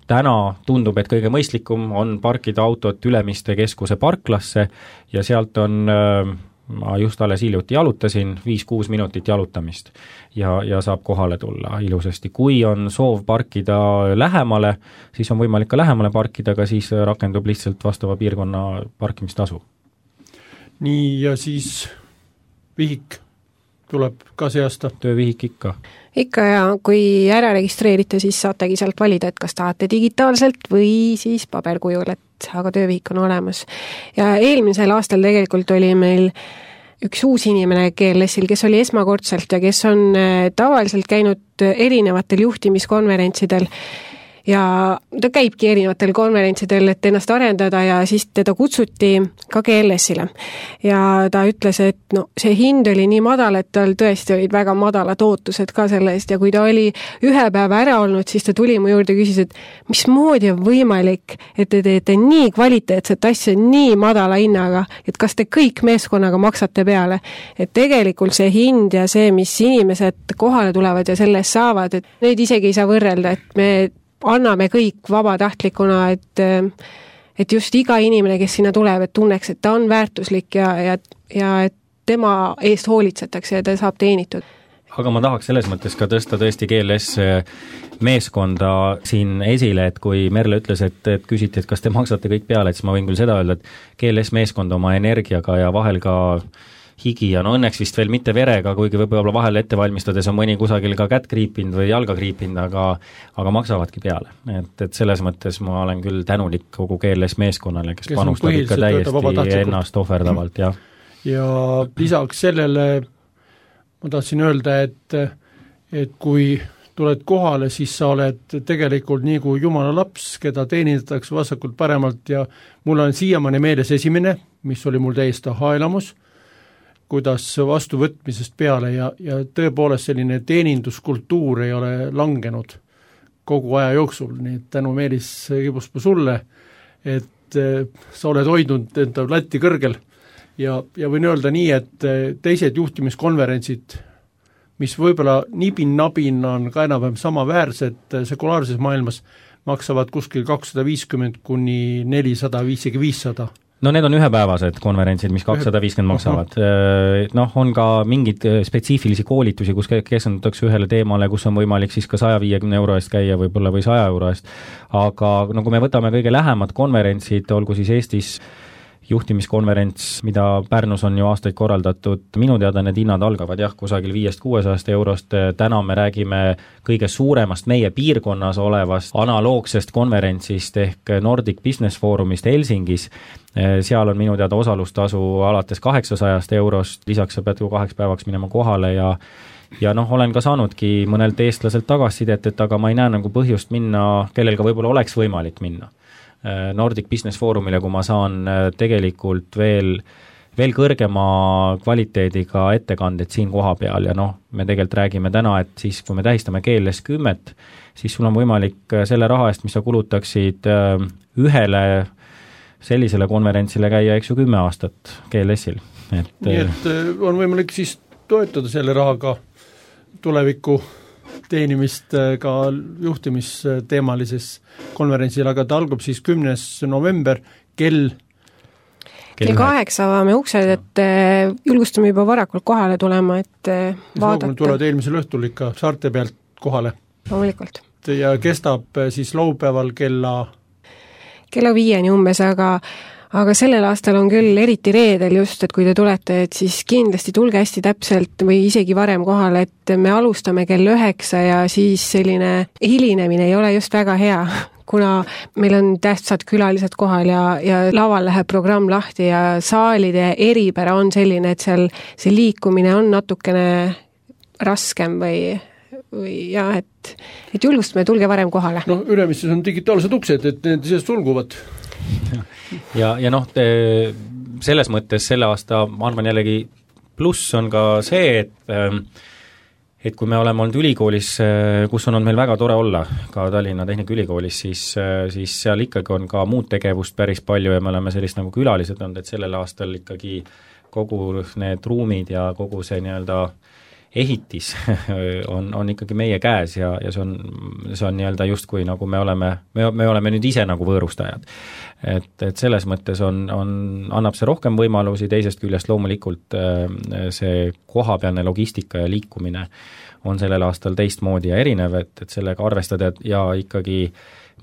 Täna tundub, et kõige mõistlikum on parkida autot Ülemiste keskuse parklasse ja sealt on, ma just alles hiljuti jalutasin, viis-kuus minutit jalutamist ja, ja saab kohale tulla ilusasti. Kui on soov parkida lähemale, siis on võimalik ka lähemale parkida, aga siis rakendub lihtsalt vastava piirkonna parkimistasu. Nii, ja siis vihik tuleb ka see aasta? Töövihik ikka. Ikka ja kui ära registreerite, siis saategi sealt valida, et kas tahate digitaalselt või siis paberkujul, et aga töövihik on olemas. Ja eelmisel aastal tegelikult oli meil üks uus inimene G L S-il, kes oli esmakordselt ja kes on tavaliselt käinud erinevatel juhtimiskonverentsidel ja ta käibki erinevatel konverentsidel, et ennast arendada ja siis teda kutsuti ka G L S-ile. Ja ta ütles, et no, see hind oli nii madal, et tal tõesti olid väga madalad ootused ka selle eest ja kui ta oli ühe päeva ära olnud, siis ta tuli mu juurde ja küsis, et mis moodi on võimalik, et te teete nii kvaliteetset asja nii madala hinnaga, et kas te kõik meeskonnaga maksate peale. Et tegelikult see hind ja see, mis inimesed kohale tulevad ja selle eest saavad, et neid isegi ei saa võrrelda, et me anname kõik vabatahtlikuna, et, et just iga inimene, kes sinna tuleb, et tunneks, et ta on väärtuslik ja, ja, ja et tema eest hoolitsetakse ja ta saab teenitud. Aga ma tahaks selles mõttes ka tõsta tõesti G L S meeskonda siin esile, et kui Merle ütles, et, et küsiti, et kas te maksate kõik peale, et siis ma võin küll seda öelda, et G L S meeskond oma energiaga ja vahel ka higi ja no õnneks vist veel mitte verega, kuigi võib-olla vahel ette valmistades on mõni kusagil ka kätt kriipinud või jalga kriipinud, aga, aga maksavadki peale. Et, et selles mõttes ma olen küll tänulik kogu G L S meeskonnale, kes, kes panustab ikka täiesti ennast ohverdavalt. Ja. ja lisaks sellele ma tahtsin öelda, et, et kui tuled kohale, siis sa oled tegelikult nii kui jumala laps, keda teenindatakse vasakult paremalt ja mul on siiamaani meeles esimene, mis oli mul täiesti aha-elamus, kuidas vastuvõtmisest peale ja, ja tõepoolest selline teeninduskultuur ei ole langenud kogu aja jooksul, nii et tänu Meelis Kibuspuu sulle, et sa oled hoidnud enda latti kõrgel ja, ja võin öelda nii, et teised juhtimiskonverentsid, mis võib-olla nibin-nabin on ka enam-vähem samaväärsed sekulaarses maailmas, maksavad kuskil kakssada viiskümmend kuni nelisada, isegi viissada no need on ühepäevased konverentsid, mis kakssada viiskümmend maksavad. Noh, on ka mingid spetsiifilisi koolitusi, kus keskendutakse ühele teemale, kus on võimalik siis ka saja viiekümne euro eest käia võib-olla või saja euro eest. Aga no kui me võtame kõige lähemad konverentsid, olgu siis Eestis juhtimiskonverents, mida Pärnus on ju aastaid korraldatud, minu teada need hinnad algavad jah, kusagil viiest kuuesajast eurost, täna me räägime kõige suuremast meie piirkonnas olevast analoogsest konverentsist ehk Nordic Business Forumist Helsingis, seal on minu teada osalustasu alates kaheksasajast eurost, lisaks sa pead ju kaheks päevaks minema kohale ja ja noh, olen ka saanudki mõnelt eestlaselt tagasisidet, et aga ma ei näe nagu põhjust minna, kellel ka võib-olla oleks võimalik minna Nordic Business Forumile, kui ma saan tegelikult veel, veel kõrgema kvaliteediga ettekanded siin koha peal ja noh, me tegelikult räägime täna, et siis kui me tähistame G L S kümmet, siis sul on võimalik selle raha eest, mis sa kulutaksid ühele sellisele konverentsile käia, eks ju, kümme aastat G L S-il. Et, nii et on võimalik siis toetada selle rahaga tuleviku teenimist ka juhtimisteemalises konverentsil, aga ta algab siis kümnes november kell kell kaheksa avame uksed, et julgustame juba varakult kohale tulema, et vaadata. Tulevad eelmisel õhtul ikka saarte pealt kohale. Loomulikult. Ja kestab siis laupäeval kella kella viieni umbes, aga aga sellel aastal on küll eriti reedel just, et kui te tulete, et siis kindlasti tulge hästi täpselt või isegi varem kohale, et me alustame kell üheksa ja siis selline hilinemine ei ole just väga hea, kuna meil on tähtsad külalised kohal ja, ja laval läheb programm lahti ja saalide eripära on selline, et seal see liikumine on natukene raskem või või jah, et, et julgustame, tulge varem kohale. No Ülemistes on digitaalsed uksed, et need ise sulguvad. ja, ja noh, selles mõttes selle aasta, ma arvan jällegi, pluss on ka see, et et kui me oleme olnud ülikoolis, kus on olnud meil väga tore olla, ka Tallinna Tehnikaülikoolis, siis, siis seal ikkagi on ka muud tegevust päris palju ja me oleme sellist nagu külalised olnud, et sellel aastal ikkagi kogu need ruumid ja kogu see nii-öelda ehitis on, on ikkagi meie käes ja, ja see on, see on nii-öelda justkui nagu me oleme, me, me oleme nüüd ise nagu võõrustajad. Et, et selles mõttes on, on, annab see rohkem võimalusi, teisest küljest loomulikult see kohapealne logistika ja liikumine on sellel aastal teistmoodi ja erinev, et, et sellega arvestada ja ikkagi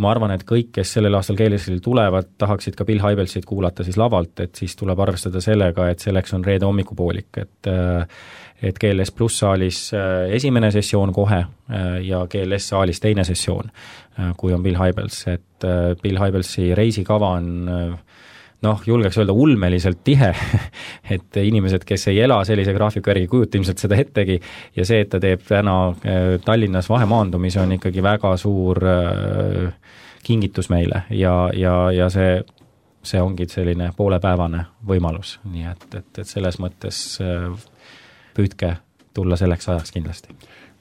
ma arvan, et kõik, kes sellel aastal G L S-il tulevad, tahaksid ka Bill Hybelsit kuulata siis lavalt, et siis tuleb arvestada sellega, et selleks on reede hommikupoolik, et et G L S pluss saalis esimene sessioon kohe ja G L S saalis teine sessioon, kui on Bill Hybels, et Bill Hybelsi reisikava on noh, julgeks öelda ulmeliselt tihe, et inimesed, kes ei ela sellise graafiku järgi, kujuta ilmselt seda ettegi ja see, et ta teeb täna Tallinnas vahemaandumise, on ikkagi väga suur kingitus meile ja, ja, ja see, see ongi selline poolepäevane võimalus, nii et, et, et selles mõttes püüdke tulla selleks ajaks kindlasti.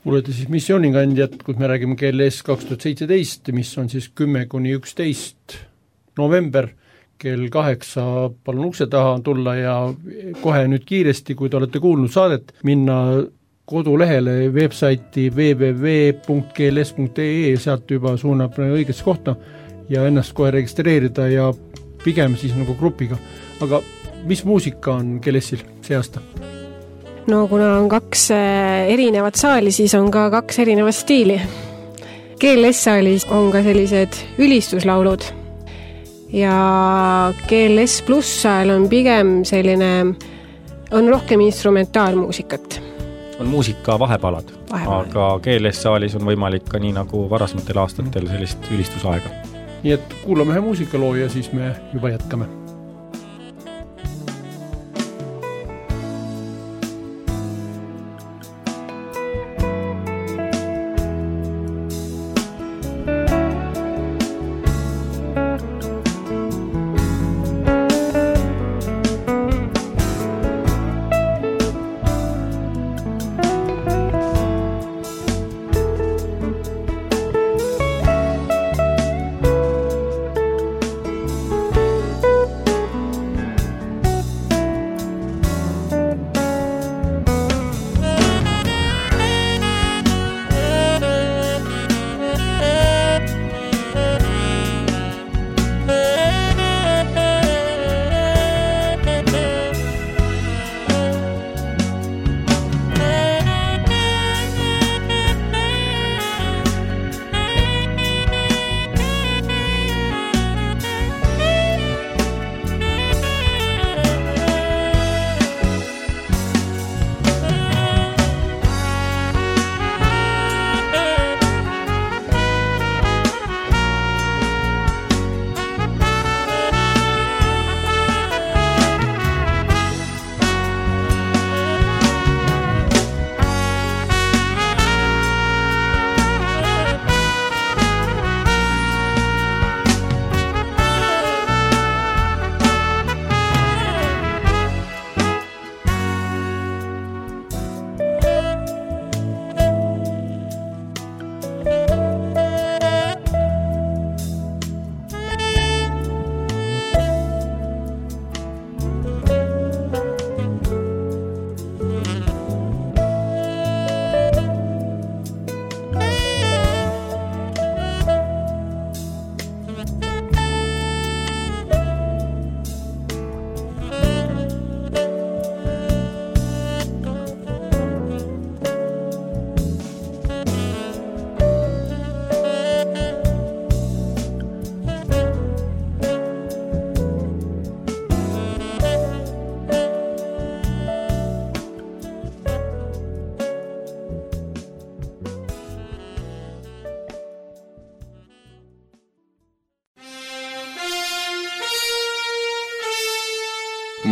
Kuulete siis missioonikandjad, kus me räägime G L S kaks tuhat seitseteist, mis on siis kümme kuni üksteist november, kell kaheksa palun ukse taha tulla ja kohe nüüd kiiresti, kui te olete kuulnud saadet, minna kodulehele websaiti w w w punkt g l s punkt e e, sealt juba suunab õigesse kohta ja ennast kohe registreerida ja pigem siis nagu grupiga. Aga mis muusika on G L S-il see aasta? No kuna on kaks erinevat saali, siis on ka kaks erinevat stiili. G L S-saalis on ka sellised ülistuslaulud ja G L S pluss saal on pigem selline, on rohkem instrumentaalmuusikat. On muusika vahepalad, vahepalad, aga G L S-saalis on võimalik ka nii nagu varasmatel aastatel sellist ülistusaega. Nii et kuulame ühe muusikaloo ja siis me juba jätkame.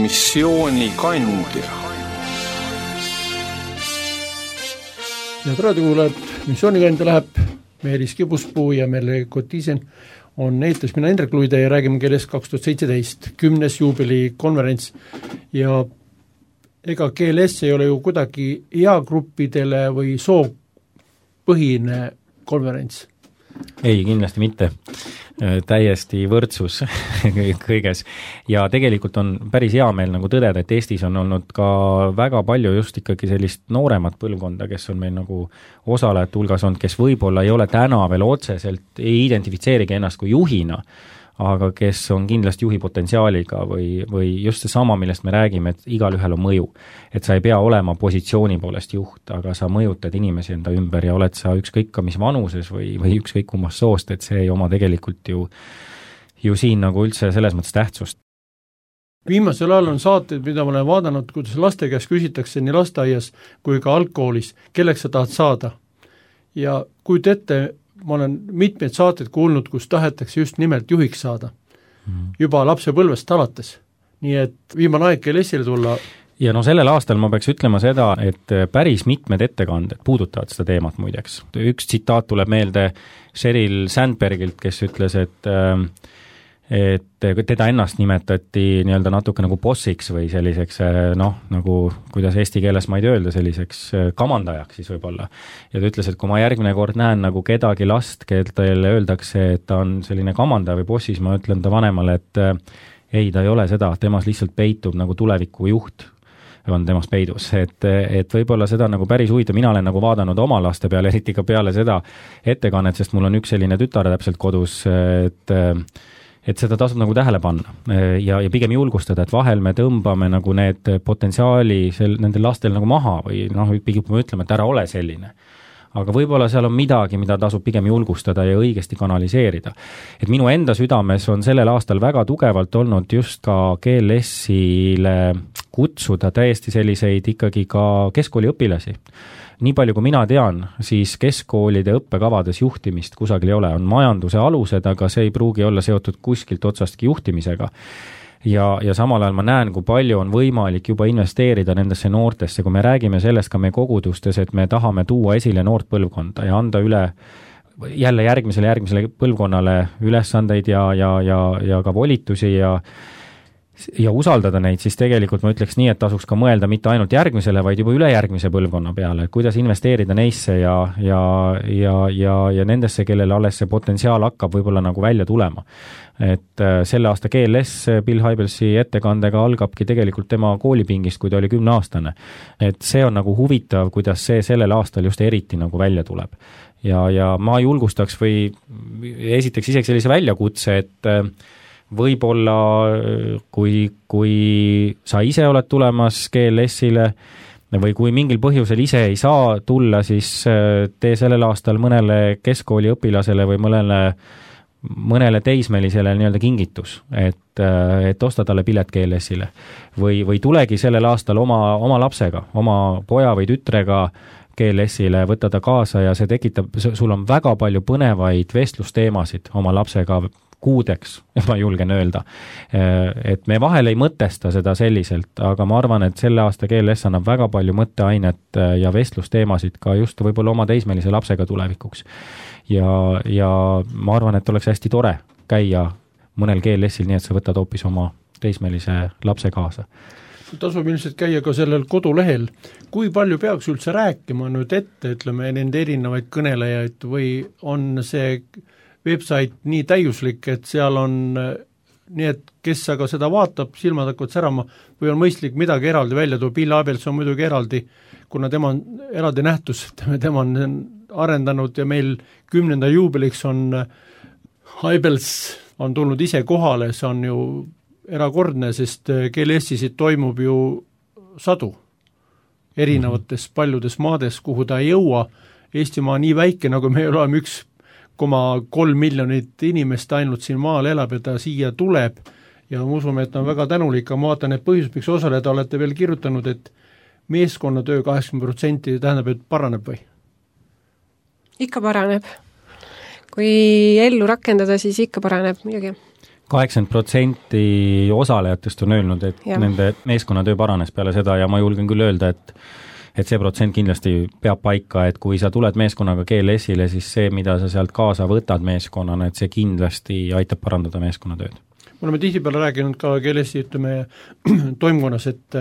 missioonikandja. Ja raadiokuulajad, missioonikandja läheb Meelis Kibuspuu ja Merle Kotisen on eetris mina Indrek Luide ja räägime keeles kaks tuhat seitseteist kümnes juubeli konverents ja ega G L S ei ole ju kuidagi eagruppidele või soopõhine konverents. Ei, kindlasti mitte. Täiesti võrdsus kõiges. Ja tegelikult on päris hea meel nagu tõdeda, et Eestis on olnud ka väga palju just ikkagi sellist nooremat põlvkonda, kes on meil nagu osalejate hulgas olnud, kes võib-olla ei ole täna veel otseselt, ei identifitseerigi ennast kui juhina, aga kes on kindlasti juhi potentsiaaliga või, või just see sama, millest me räägime, et igal ühel on mõju. Et sa ei pea olema positsiooni poolest juht, aga sa mõjutad inimesi enda ümber ja oled sa ükskõik ka mis vanuses või, või ükskõik kummast soost, et see ei oma tegelikult ju, ju siin nagu üldse selles mõttes tähtsust. Viimasel ajal on saated, mida ma olen vaadanud, kuidas laste käest küsitakse nii lasteaias kui ka algkoolis, kelleks sa tahad saada. Ja kuid ette ma olen mitmeid saateid kuulnud, kus tahetakse just nimelt juhiks saada. Mm. Juba lapse põlvest alates. Nii et viimane aeg G L S-ile tulla. Ja no sellel aastal ma peaks ütlema seda, et päris mitmed ettekanded puudutavad seda teemat muideks. Üks tsitaat tuleb meelde Sheryl Sandbergilt, kes ütles, et et teda ennast nimetati nii-öelda natuke nagu bossiks või selliseks, noh, nagu kuidas eesti keeles ma ei öelda, selliseks kamandajaks siis võib-olla. Ja ta ütles, et kui ma järgmine kord näen nagu kedagi last, kellele öeldakse, et ta on selline kamandaja või bossis, ma ütlen ta vanemale, et ei, ta ei ole seda, temas lihtsalt peitub nagu tuleviku juht on temas peidus, et, et võib-olla seda nagu päris huvitav, mina olen nagu vaadanud oma laste peale, eriti ka peale seda ettekannet, sest mul on üks selline tütar täpselt kodus, et et seda tasub nagu tähele panna ja, ja pigem julgustada, et vahel me tõmbame nagu need potentsiaali sel, nendel lastel nagu maha või noh, pigem me ütleme, et ära ole selline. Aga võib-olla seal on midagi, mida tasub pigem julgustada ja õigesti kanaliseerida. Et minu enda südames on sellel aastal väga tugevalt olnud just ka G L S-ile kutsuda täiesti selliseid ikkagi ka keskkooli õpilasi. Nii palju kui mina tean, siis keskkoolide õppekavades juhtimist kusagil ei ole. On majanduse alused, aga see ei pruugi olla seotud kuskilt otsastki juhtimisega. Ja, ja samal ajal ma näen, kui palju on võimalik juba investeerida nendesse noortesse, kui me räägime sellest ka meie kogudustes, et me tahame tuua esile noort põlvkonda ja anda üle jälle järgmisele järgmisele põlvkonnale ülesandeid ja, ja, ja, ja ka volitusi ja ja usaldada neid, siis tegelikult ma ütleks nii, et tasuks ka mõelda mitte ainult järgmisele, vaid juba ülejärgmise põlvkonna peale, et kuidas investeerida neisse ja, ja, ja, ja, ja nendesse, kellele alles see potentsiaal hakkab võib-olla nagu välja tulema. Et selle aasta G L S Bill Hybelsi ettekandega algabki tegelikult tema koolipingist, kui ta oli kümneaastane. Et see on nagu huvitav, kuidas see sellel aastal just eriti nagu välja tuleb. Ja, ja ma julgustaks või esiteks isegi sellise väljakutse, et võib-olla kui, kui sa ise oled tulemas G L S-ile või kui mingil põhjusel ise ei saa tulla, siis tee sellel aastal mõnele keskkooli õpilasele või mõnele, mõnele teismelisele nii-öelda kingitus, et, et osta talle pilet G L S-ile. Või, või tulegi sellel aastal oma, oma lapsega, oma poja või tütrega G L S-ile, võtta ta kaasa ja see tekitab, sul on väga palju põnevaid vestlusteemasid oma lapsega kuudeks, ma julgen öelda. Et me vahel ei mõtesta seda selliselt, aga ma arvan, et selle aasta G L S annab väga palju mõtteainet ja vestlusteemasid ka just võib-olla oma teismelise lapsega tulevikuks. Ja, ja ma arvan, et oleks hästi tore käia mõnel G L S-il nii, et sa võtad hoopis oma teismelise lapse kaasa. Tasub ilmselt käia ka sellel kodulehel. Kui palju peaks üldse rääkima nüüd ette, ütleme, nende erinevaid kõnelejaid või on see website nii täiuslik, et seal on nii, et kes aga seda vaatab, silmad hakkavad särama või on mõistlik midagi eraldi välja tuua. Bill Hybels on muidugi eraldi, kuna tema on eraldi nähtus, tema on arendanud ja meil kümnenda juubeliks on Hybels on tulnud ise kohale, see on ju erakordne, sest G L S-isid toimub ju sadu erinevates paljudes maades, kuhu ta ei jõua. Eestimaa nii väike, nagu me oleme üks koma kolm miljonit inimest ainult siin maal elab ja ta siia tuleb ja ma usume, et on väga tänulik, aga ma vaatan, et põhjus, miks osaleda olete veel kirjutanud, et meeskonnatöö kaheksakümmend protsenti tähendab, et paraneb või? Ikka paraneb. Kui ellu rakendada, siis ikka paraneb midagi. kaheksakümmend protsenti osalejatest on öelnud, et ja. nende meeskonnatöö paranes peale seda ja ma julgen küll öelda, et et see protsent kindlasti peab paika, et kui sa tuled meeskonnaga G L S-ile, siis see, mida sa sealt kaasa võtad meeskonnana, et see kindlasti aitab parandada meeskonnatööd. Me oleme tihtipeale rääkinud ka G L S-i, ütleme, toimkonnas, et,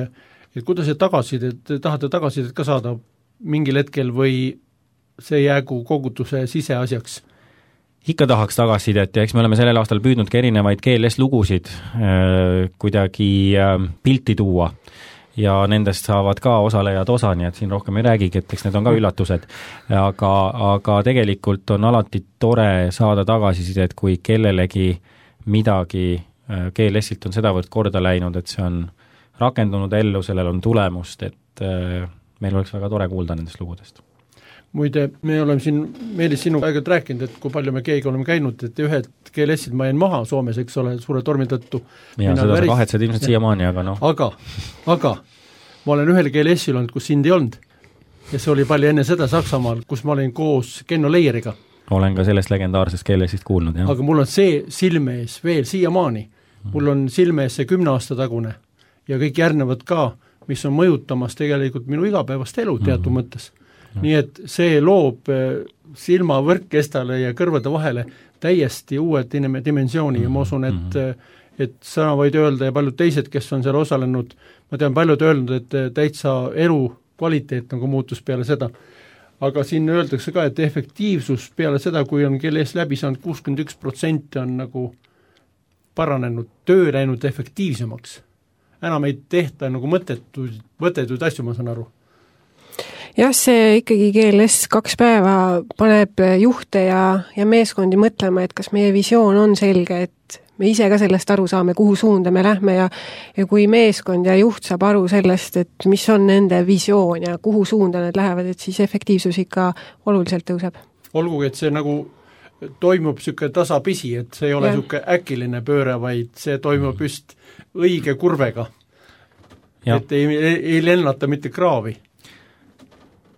et kuidas see tagasisidet, tahate tagasisidet ka saada mingil hetkel või see jäägu kogutuse siseasjaks? Ikka tahaks tagasisidet ja eks me oleme sellel aastal püüdnud ka erinevaid G L S-lugusid äh, kuidagi äh, pilti tuua ja nendest saavad ka osalejad osa, nii et siin rohkem ei räägigi, et eks need on ka üllatused. Aga, aga tegelikult on alati tore saada tagasisidet, kui kellelegi midagi G L S-ilt on sedavõrd korda läinud, et see on rakendunud ellu, sellel on tulemust, et meil oleks väga tore kuulda nendest lugudest. Muide, me oleme siin, Meelis, sinu aegalt rääkinud, et kui palju me keegi oleme käinud, et ühed G L S-id ma jäin maha Soomes, eks ole, suure tormi tõttu. Ja seda sa kahetsed ilmselt siiamaani, aga noh. Aga, aga ma olen ühel G L S-il olnud, kus sind ei olnud. Ja see oli palju enne seda Saksamaal, kus ma olin koos Kenno Leieriga. Olen ka sellest legendaarsest G L S-ist kuulnud, jah. Aga mul on see silme ees veel siiamaani. Mul on silme ees see kümne aasta tagune ja kõik järgnevad ka, mis on mõjutamas tegelikult minu igapäevast elu teatud mm. mõttes. Nii et see loob silmavõrkkestale ja kõrvade vahele täiesti uue dimensiooni ja ma usun, et, et sõna võid öelda ja paljud teised, kes on seal osalenud, ma tean paljud öelnud, et täitsa elu kvaliteet nagu muutus peale seda. Aga siin öeldakse ka, et efektiivsus peale seda, kui on G L S läbi saanud kuuskümmend üks protsenti on nagu paranenud, töö läinud efektiivsemaks. Enam ei tehta nagu mõttetuid, mõttetuid asju, ma saan aru. Jah, see ikkagi G L S kaks päeva paneb juhte ja, ja meeskondi mõtlema, et kas meie visioon on selge, et me ise ka sellest aru saame, kuhu suunda me lähme ja, ja kui meeskond ja juht saab aru sellest, et mis on nende visioon ja kuhu suunda need lähevad, et siis efektiivsus ikka oluliselt tõuseb. Olgugi, et see nagu toimub niisugune tasapisi, et see ei ole niisugune äkiline pööre, vaid see toimub just õige kurvega. Ja. Et ei, ei, ei lennata mitte kraavi.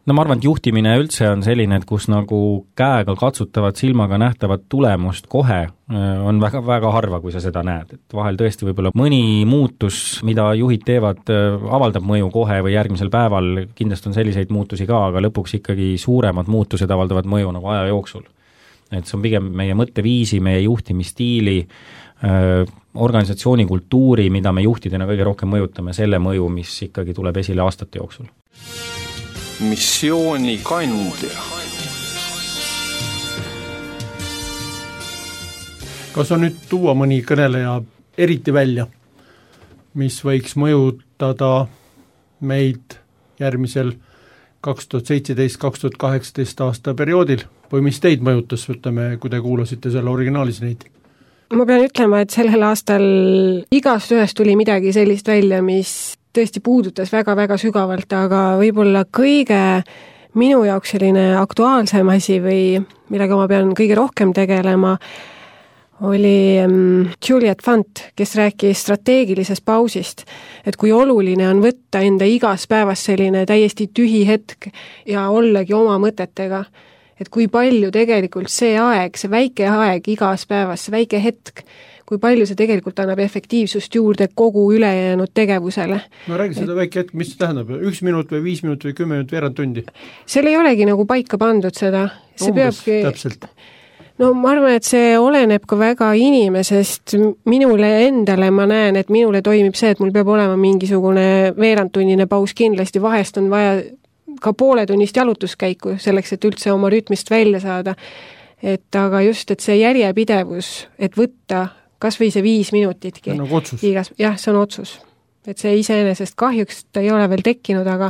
No ma arvan, et juhtimine üldse on selline, et kus nagu käega katsutavat silmaga nähtavat tulemust kohe on väga, väga harva, kui sa seda näed. Et vahel tõesti võib-olla mõni muutus, mida juhid teevad, avaldab mõju kohe või järgmisel päeval, kindlasti on selliseid muutusi ka, aga lõpuks ikkagi suuremad muutused avaldavad mõju nagu aja jooksul. Et see on pigem meie mõtteviisi, meie juhtimisstiili, organisatsiooni kultuuri, mida me juhtidena kõige rohkem mõjutame, selle mõju, mis ikkagi tuleb esile aastate jooksul. Missiooni kandja. Kas on nüüd tuua mõni kõneleja eriti välja, mis võiks mõjutada meid järgmisel kaks tuhat seitseteist kaks tuhat kaheksateist aasta perioodil või mis teid mõjutas, ütleme, kui te kuulasite selle originaalis neid? Ma pean ütlema, et sellel aastal igast ühest tuli midagi sellist välja, mis tõesti puudutas väga-väga sügavalt, aga võib-olla kõige minu jaoks selline aktuaalsem asi või millega ma pean kõige rohkem tegelema, oli Juliet Fant, kes rääkis strateegilisest pausist, et kui oluline on võtta enda igas päevas selline täiesti tühi hetk ja ollagi oma mõtetega, et kui palju tegelikult see aeg, see väike aeg igas päevas, see väike hetk, kui palju see tegelikult annab efektiivsust juurde kogu ülejäänud tegevusele. No räägi seda väike hetk, mis see tähendab? Üks minut või viis minut või kümme minut veerand tundi? Seal ei olegi nagu paika pandud seda. See Umbes, peabki... täpselt. No ma arvan, et see oleneb ka väga inimesest. Minule endale ma näen, et minule toimib see, et mul peab olema mingisugune veerandtunnine paus kindlasti. Vahest on vaja ka poole tunnist jalutuskäiku selleks, et üldse oma rütmist välja saada. Et aga just, et see järjepidevus, et võtta kas või see viis minutitki. See on nagu otsus. Igas, jah, see on otsus. Et see iseenesest kahjuks ta ei ole veel tekkinud, aga,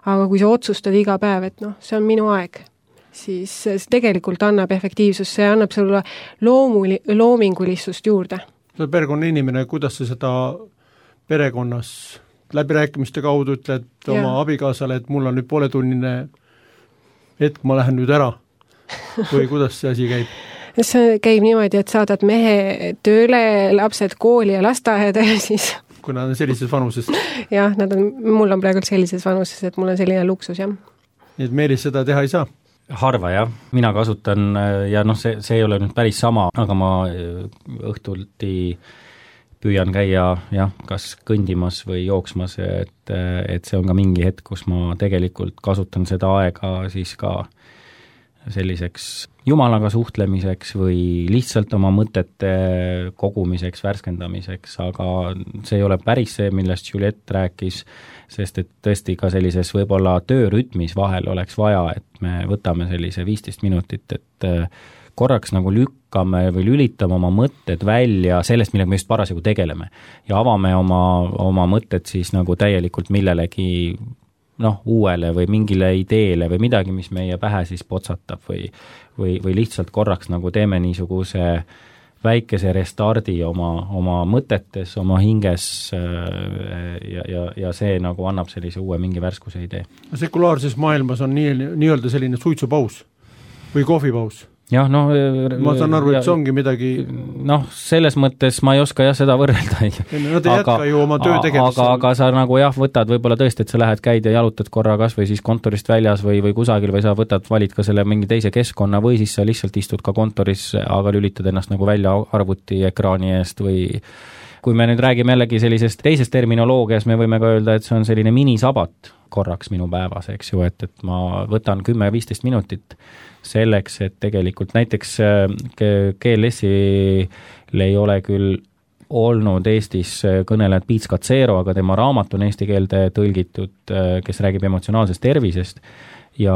aga kui sa otsustad iga päev, et noh, see on minu aeg, siis see tegelikult annab efektiivsus, see annab sulle loomuli, loomingulisust juurde. Sa oled perekonna inimene, kuidas sa seda perekonnas läbirääkimiste kaudu ütled ja. Oma abikaasale, et mul on nüüd pooletunnine hetk, ma lähen nüüd ära või kuidas see asi käib? See käib niimoodi, et saadad mehe tööle, lapsed kooli ja lasteaeda ja siis... Kui nad on sellises vanuses? Jah, nad on, mul on praegu sellises vanuses, et mul on selline luksus, jah. Nii et Meelis seda teha ei saa? harva jah, mina kasutan ja noh, see, see ei ole nüüd päris sama, aga ma õhtulti püüan käia jah, kas kõndimas või jooksmas, et, et see on ka mingi hetk, kus ma tegelikult kasutan seda aega siis ka selliseks jumalaga suhtlemiseks või lihtsalt oma mõtete kogumiseks, värskendamiseks, aga see ei ole päris see, millest Juliette rääkis, sest et tõesti ka sellises võib-olla töörütmis vahel oleks vaja, et me võtame sellise viisteist minutit, et korraks nagu lükkame või lülitame oma mõtted välja sellest, millega me just parasjagu tegeleme ja avame oma, oma mõtted siis nagu täielikult millelegi noh, uuele või mingile ideele või midagi, mis meie pähe siis potsatab või, või, või lihtsalt korraks nagu teeme niisuguse väikese restardi oma, oma mõtetes, oma hinges ja, ja, ja see nagu annab sellise uue mingi värskuse idee. Sekulaarses maailmas on nii, nii-öelda selline suitsupaus või kohvipaus. Jah, no ma saan aru, et see ongi midagi noh, selles mõttes ma ei oska jah seda võrrelda. No te jätka ju oma töö tegemist. Aga, aga sa nagu jah, võtad võib-olla tõesti, et sa lähed, käid ja jalutad korra kas või siis kontorist väljas või, või kusagil või sa võtad, valid ka selle mingi teise keskkonna või siis sa lihtsalt istud ka kontoris, aga lülitad ennast nagu välja arvuti ekraani eest või kui me nüüd räägime jällegi sellisest teisest terminoloogias, me võime ka öelda, et see on selline minisabat korraks minu päevas, eks ju, et, et ma võtan kümme viisteist minutit selleks, et tegelikult näiteks G L S-il ei ole küll olnud Eestis kõnelejad Piits Katsero, aga tema raamat on eesti keelde tõlgitud, kes räägib emotsionaalsest tervisest ja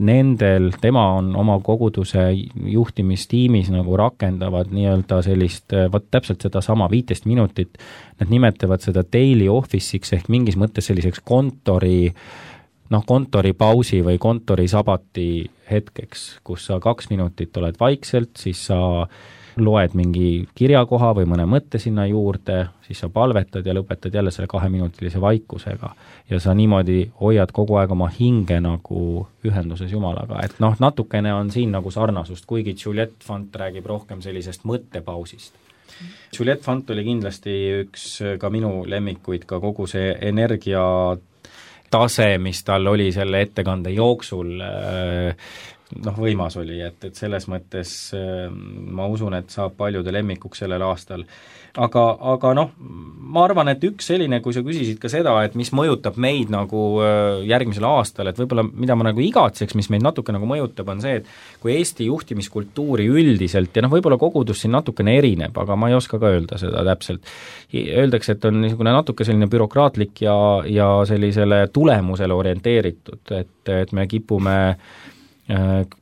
nendel, tema on oma koguduse juhtimistiimis nagu rakendavad nii-öelda sellist, võt täpselt seda sama viisteist minutit, nad nimetavad seda daily office'iks ehk mingis mõttes selliseks kontori noh, kontoripausi või kontorisabati hetkeks, kus sa kaks minutit oled vaikselt, siis sa loed mingi kirjakoha või mõne mõtte sinna juurde, siis sa palvetad ja lõpetad jälle selle kaheminutilise vaikusega. Ja sa niimoodi hoiad kogu aeg oma hinge nagu ühenduses Jumalaga. Et noh, natukene on siin nagu sarnasust, kuigi Juliette Fant räägib rohkem sellisest mõttepausist. Juliette Fant oli kindlasti üks ka minu lemmikuid, ka kogu see energia tase, mis tal oli selle ettekande jooksul, noh, võimas oli, et, et selles mõttes ma usun, et saab paljude lemmikuks sellel aastal. Aga, aga noh, ma arvan, et üks selline, kui sa küsisid ka seda, et mis mõjutab meid nagu järgmisel aastal, et võib-olla mida ma nagu igatseks, mis meid natuke nagu mõjutab, on see, et kui Eesti juhtimiskultuuri üldiselt, ja noh, võib-olla kogudus siin natukene erineb, aga ma ei oska ka öelda seda täpselt. Öeldakse, et on niisugune natuke selline bürokraatlik ja, ja sellisele tulemusele orienteeritud, et, et me kipume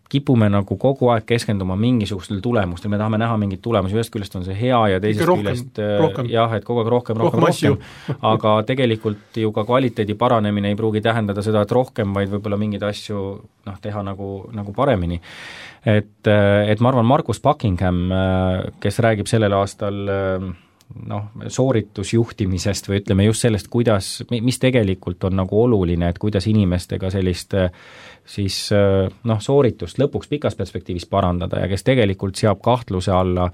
kipume nagu kogu aeg keskenduma mingisugustel tulemustel, me tahame näha mingit tulemusi, ühest küljest on see hea ja teisest rohkem, küljest rohkem. jah, et kogu aeg rohkem, rohkem, rohkem, rohkem. Aga tegelikult ju ka kvaliteedi paranemine ei pruugi tähendada seda, et rohkem, vaid võib-olla mingeid asju noh, teha nagu, nagu paremini. Et, et ma arvan, Markus Buckingham, kes räägib sellel aastal noh, sooritusjuhtimisest või ütleme just sellest, kuidas, mis tegelikult on nagu oluline, et kuidas inimestega sellist siis noh, sooritust lõpuks pikas perspektiivis parandada ja kes tegelikult seab kahtluse alla,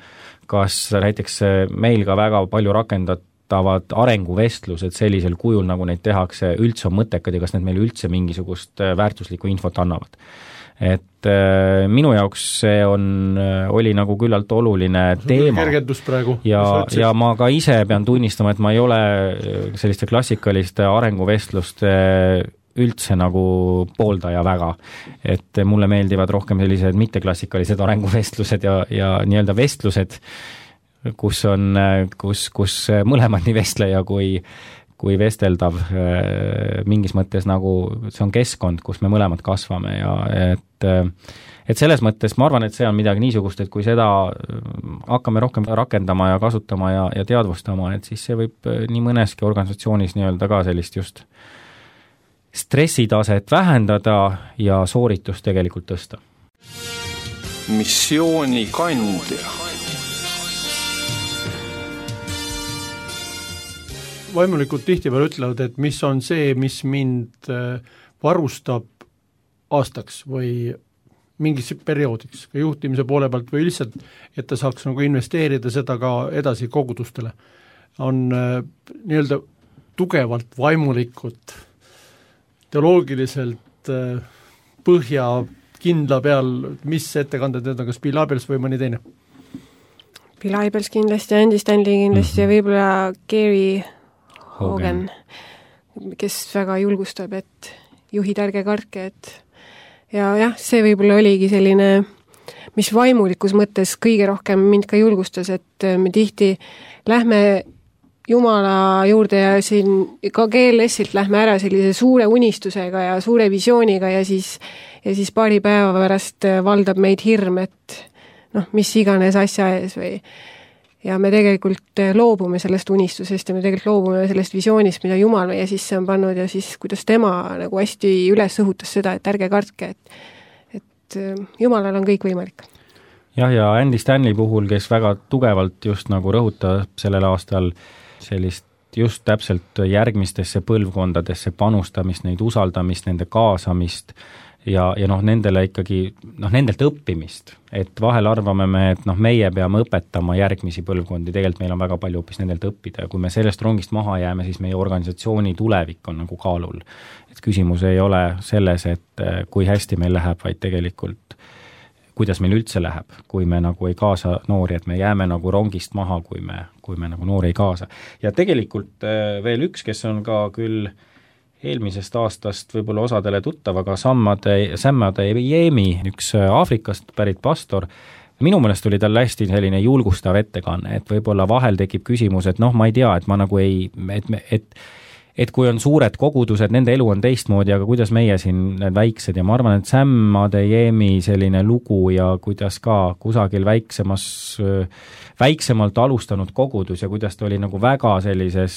kas näiteks meil ka väga palju rakendatavad arenguvestlused sellisel kujul, nagu neid tehakse, üldse on mõttekad ja kas need meile üldse mingisugust väärtuslikku infot annavad. Et äh, minu jaoks see on, oli nagu küllalt oluline teema ja, ja ma ka ise pean tunnistama, et ma ei ole selliste klassikaliste arenguvestluste üldse nagu pooldaja väga, et mulle meeldivad rohkem sellised mitteklassikalised arenguvestlused ja, ja nii-öelda vestlused, kus on, kus, kus mõlemad nii vestleja kui kui vesteldav mingis mõttes nagu see on keskkond, kus me mõlemad kasvame ja et, et selles mõttes ma arvan, et see on midagi niisugust, et kui seda hakkame rohkem rakendama ja kasutama ja, ja teadvustama, et siis see võib nii mõneski organisatsioonis nii-öelda ka sellist just stressitaset vähendada ja sooritust tegelikult tõsta. Missiooni kandja. Vaimulikult tihtipeale ütlevad, et mis on see, mis mind varustab aastaks või mingis perioodiks ka juhtimise poole pealt või lihtsalt, et ta saaks nagu investeerida seda ka edasi kogudustele, on nii-öelda tugevalt vaimulikult, teoloogiliselt põhja kindla peal, mis ettekanded need on, kas Bill Abels või mõni teine? Bill Abels kindlasti, Andy Stanley kindlasti mm-hmm. ja võib-olla Gary Hogan, Hogan, kes väga julgustab, et juhid ärge karke, et ja jah, see võib-olla oligi selline, mis vaimulikus mõttes kõige rohkem mind ka julgustas, et me tihti lähme Jumala juurde ja siin ka G L S-ilt lähme ära sellise suure unistusega ja suure visiooniga ja siis, ja siis paari päeva pärast valdab meid hirm, et noh, mis iganes asja ees või ja me tegelikult loobume sellest unistusest ja me tegelikult loobume sellest visioonist, mida Jumal meie sisse on pannud ja siis kuidas tema nagu hästi üles õhutas seda, et ärge kartke, et, et Jumalal on kõik võimalik. Jah, ja Andy Stanley puhul, kes väga tugevalt just nagu rõhutab sellel aastal sellist just täpselt järgmistesse põlvkondadesse panustamist, neid usaldamist, nende kaasamist ja, ja noh, nendele ikkagi, noh, nendelt õppimist, et vahel arvame me, et noh, meie peame õpetama järgmisi põlvkondi, tegelikult meil on väga palju hoopis nendelt õppida ja kui me sellest rongist maha jääme, siis meie organisatsiooni tulevik on nagu kaalul. Et küsimus ei ole selles, et kui hästi meil läheb, vaid tegelikult kuidas meil üldse läheb, kui me nagu ei kaasa noori, et me jääme nagu rongist maha, kui me, kui me nagu noori ei kaasa. Ja tegelikult veel üks, kes on ka küll eelmisest aastast võib-olla osadele tuttav, aga Sammade, Sammade Jeemi, üks Aafrikast pärit pastor, minu meelest oli tal hästi selline julgustav ettekanne, et võib-olla vahel tekib küsimus, et noh, ma ei tea, et ma nagu ei, et, et et kui on suured kogudused, nende elu on teistmoodi, aga kuidas meie siin need väiksed ja ma arvan, et Sammade Jeemi selline lugu ja kuidas ka kusagil väiksemas, väiksemalt alustanud kogudus ja kuidas ta oli nagu väga sellises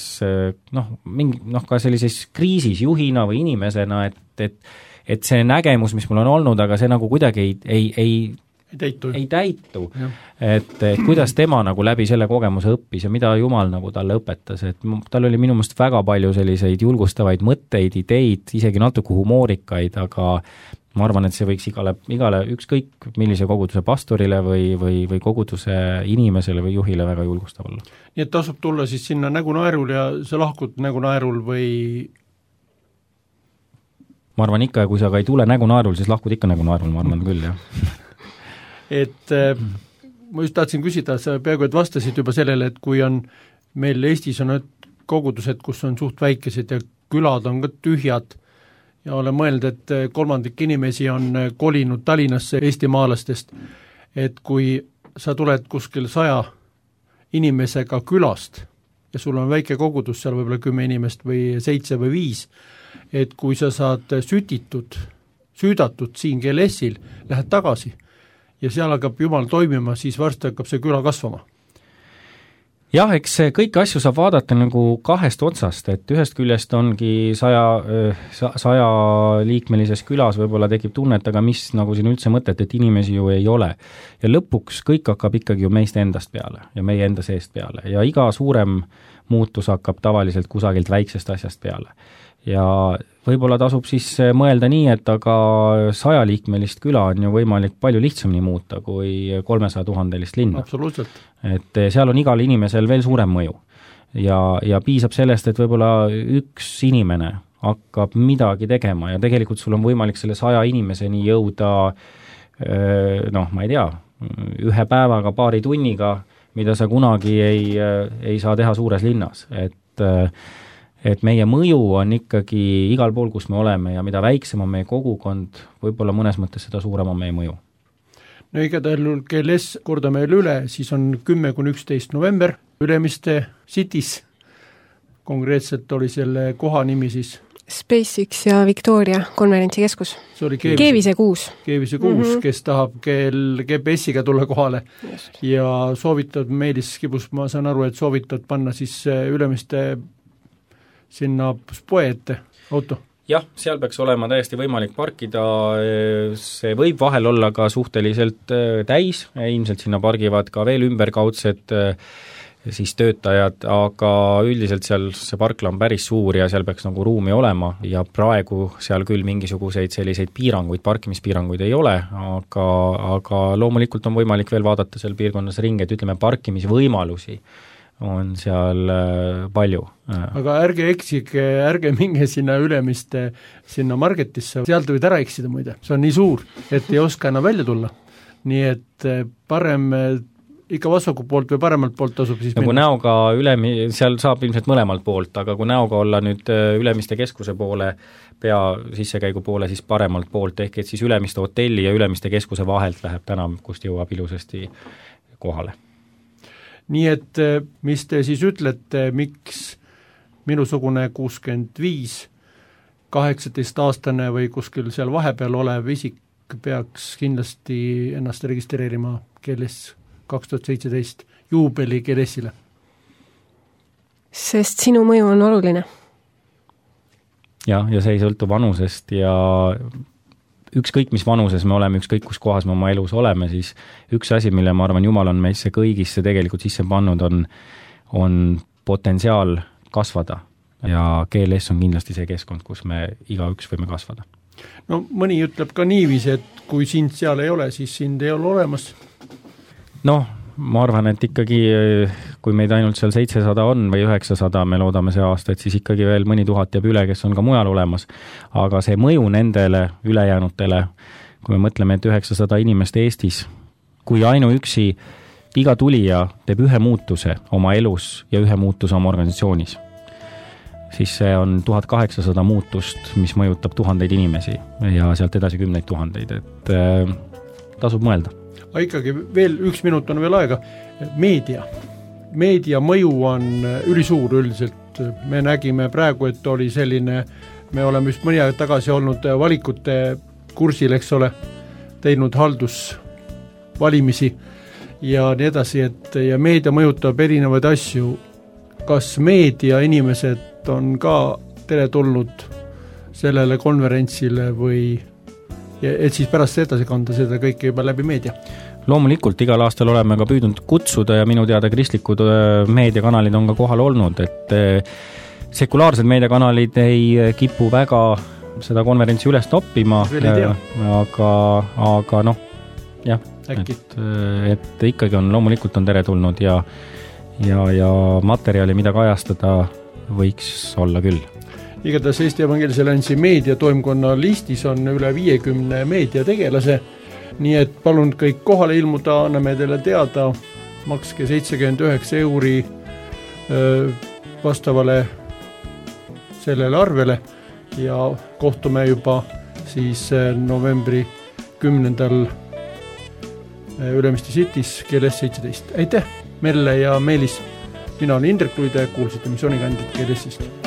noh, mingi, noh ka sellises kriisis juhina või inimesena, et, et, et see nägemus, mis mul on olnud, aga see nagu kuidagi ei, ei, ei ei täitu, ei täitu. Et, et kuidas tema nagu läbi selle kogemuse õppis ja mida Jumal nagu talle õpetas, et tal oli minu meelest väga palju selliseid julgustavaid mõtteid, ideid, isegi natuke humoorikaid, aga ma arvan, et see võiks igale, igale ükskõik millise koguduse pastorile või, või, või koguduse inimesele või juhile väga julgustav olla. Nii et tasub tulla siis sinna Nägu naerul ja sa lahkud Nägu naerul või? Ma arvan ikka, kui sa ka ei tule Nägu naerul, siis lahkud ikka Nägu naerul, ma arvan küll, jah. Et äh, ma just tahtsin küsida, sa peaaegu et vastasid juba sellele, et kui on meil Eestis on kogudused, kus on suht väikesed ja külad on ka tühjad ja olen mõelnud, et kolmandik inimesi on kolinud Tallinnasse eestimaalastest, et kui sa tuled kuskil saja inimesega külast ja sul on väike kogudus, seal võib-olla kümme inimest või seitse või viis, et kui sa saad sütitud, süüdatud siin G L S-il, lähed tagasi ja seal hakkab Jumal toimima, siis varsti hakkab see küla kasvama. Jah, eks kõiki asju saab vaadata nagu kahest otsast, et ühest küljest ongi saja, saja liikmelises külas võib-olla tekib tunnet, aga mis nagu siin üldse mõtet, et inimesi ju ei ole. Ja lõpuks kõik hakkab ikkagi ju meist endast peale ja meie enda seest peale ja iga suurem muutus hakkab tavaliselt kusagilt väiksest asjast peale. Ja võib-olla tasub siis mõelda nii, et aga sajaliikmelist küla on ju võimalik palju lihtsamini muuta kui kolmesaja tuhandelist linna. Absoluutselt. Et seal on igal inimesel veel suurem mõju. Ja, ja piisab sellest, et võib-olla üks inimene hakkab midagi tegema ja tegelikult sul on võimalik selle saja inimeseni jõuda, noh, ma ei tea, ühe päevaga, paari tunniga, mida sa kunagi ei, ei saa teha suures linnas. Et et meie mõju on ikkagi igal pool, kus me oleme ja mida väiksem on meie kogukond, võib-olla mõnes mõttes seda suurem on meie mõju. No igatahes G L S kordame üle, siis on kümme kuni üksteist november Ülemiste Cities. Konkreetselt oli selle koha nimi siis SpaceX ja Victoria konverentsikeskus. See oli Keevise kuus. Keevise kuus, mm-hmm. kes tahab G P S-iga tulla kohale. Just. Ja soovitad, Meelis Kibus, ma saan aru, et soovitad panna siis Ülemiste sinna spoe ette auto? Jah, seal peaks olema täiesti võimalik parkida, see võib vahel olla ka suhteliselt täis, ilmselt sinna pargivad ka veel ümberkaudsed siis töötajad, aga üldiselt seal see parkla on päris suur ja seal peaks nagu ruumi olema ja praegu seal küll mingisuguseid selliseid piiranguid, parkimispiiranguid ei ole, aga, aga loomulikult on võimalik veel vaadata seal piirkonnas ringi, et ütleme parkimisvõimalusi on seal palju. Aga ärge eksige, ärge minge sinna Ülemiste, sinna Margetisse, sealt võid ära eksida muide, see on nii suur, et ei oska enam välja tulla. Nii et parem ikka vasaku poolt või paremalt poolt tasub siis ja kui näoga Ülemi-, seal saab ilmselt mõlemalt poolt, aga kui näoga olla nüüd Ülemiste keskuse poole, pea sissekäigu poole, siis paremalt poolt, ehk et siis Ülemiste hotelli ja Ülemiste keskuse vahelt läheb tänav, kust jõuab ilusasti kohale. Nii et mis te siis ütlete, miks minusugune kuuskümmend viis, kaheksateist aastane või kuskil seal vahepeal olev isik peaks kindlasti ennast registreerima G L S kaks tuhat seitseteist juubeli G L S-ile? Sest sinu mõju on oluline. Jah, ja see ei sõltu vanusest ja ükskõik mis vanuses me oleme, ükskõik kus kohas me oma elus oleme, siis üks asi, mille ma arvan, Jumal on meisse kõigisse tegelikult sisse pannud, on, on potentsiaal kasvada ja G L S on kindlasti see keskkond, kus me igaüks võime kasvada. No mõni ütleb ka niiviisi, et kui sind seal ei ole, siis sind ei ole olemas. Noh, ma arvan, et ikkagi kui meid ainult seal seitsesada on või üheksasada, me loodame see aasta, et siis ikkagi veel mõni tuhat jääb üle, kes on ka mujal olemas. Aga see mõju nendele ülejäänutele, kui me mõtleme, et üheksasada inimest Eestis, kui ainuüksi iga tulija teeb ühe muutuse oma elus ja ühe muutuse oma organisatsioonis, siis see on tuhat kaheksasada muutust, mis mõjutab tuhandeid inimesi ja sealt edasi kümneid tuhandeid, et äh, tasub mõelda. Aga ikkagi veel üks minut on veel aega. Meedia. Meedia mõju on ülisuur üldiselt. Me nägime praegu, et oli selline, me oleme just mõni aeg tagasi olnud valikute kursil, eks ole, teinud haldusvalimisi ja nii edasi, et ja meedia mõjutab erinevaid asju. Kas meedia inimesed on ka teretulnud sellele konverentsile või et siis pärast edasi kanda seda kõike juba läbi meedia? Loomulikult igal aastal oleme ka püüdnud kutsuda ja minu teada kristlikud meediakanalid on ka kohal olnud, et sekulaarsed meediakanalid ei kipu väga seda konverentsi üles toppima, aga, aga noh, jah, et, et ikkagi on, loomulikult on teretulnud ja, ja, ja materjali, mida kajastada, võiks olla küll. Igatahes Eesti Evangeelse Alliansi meediatoimkonna listis on üle viiekümne meediategelase, nii et palun kõik kohale ilmuda, anname teile teada, makske seitsekümmend üheksa euri vastavale sellele arvele ja kohtume juba siis novembri kümnendal Ülemiste City's G L S seitseteist. Aitäh, Merle ja Meelis! Mina olen Indrek Luide, kuulsite missioonikandjat G L S-ist.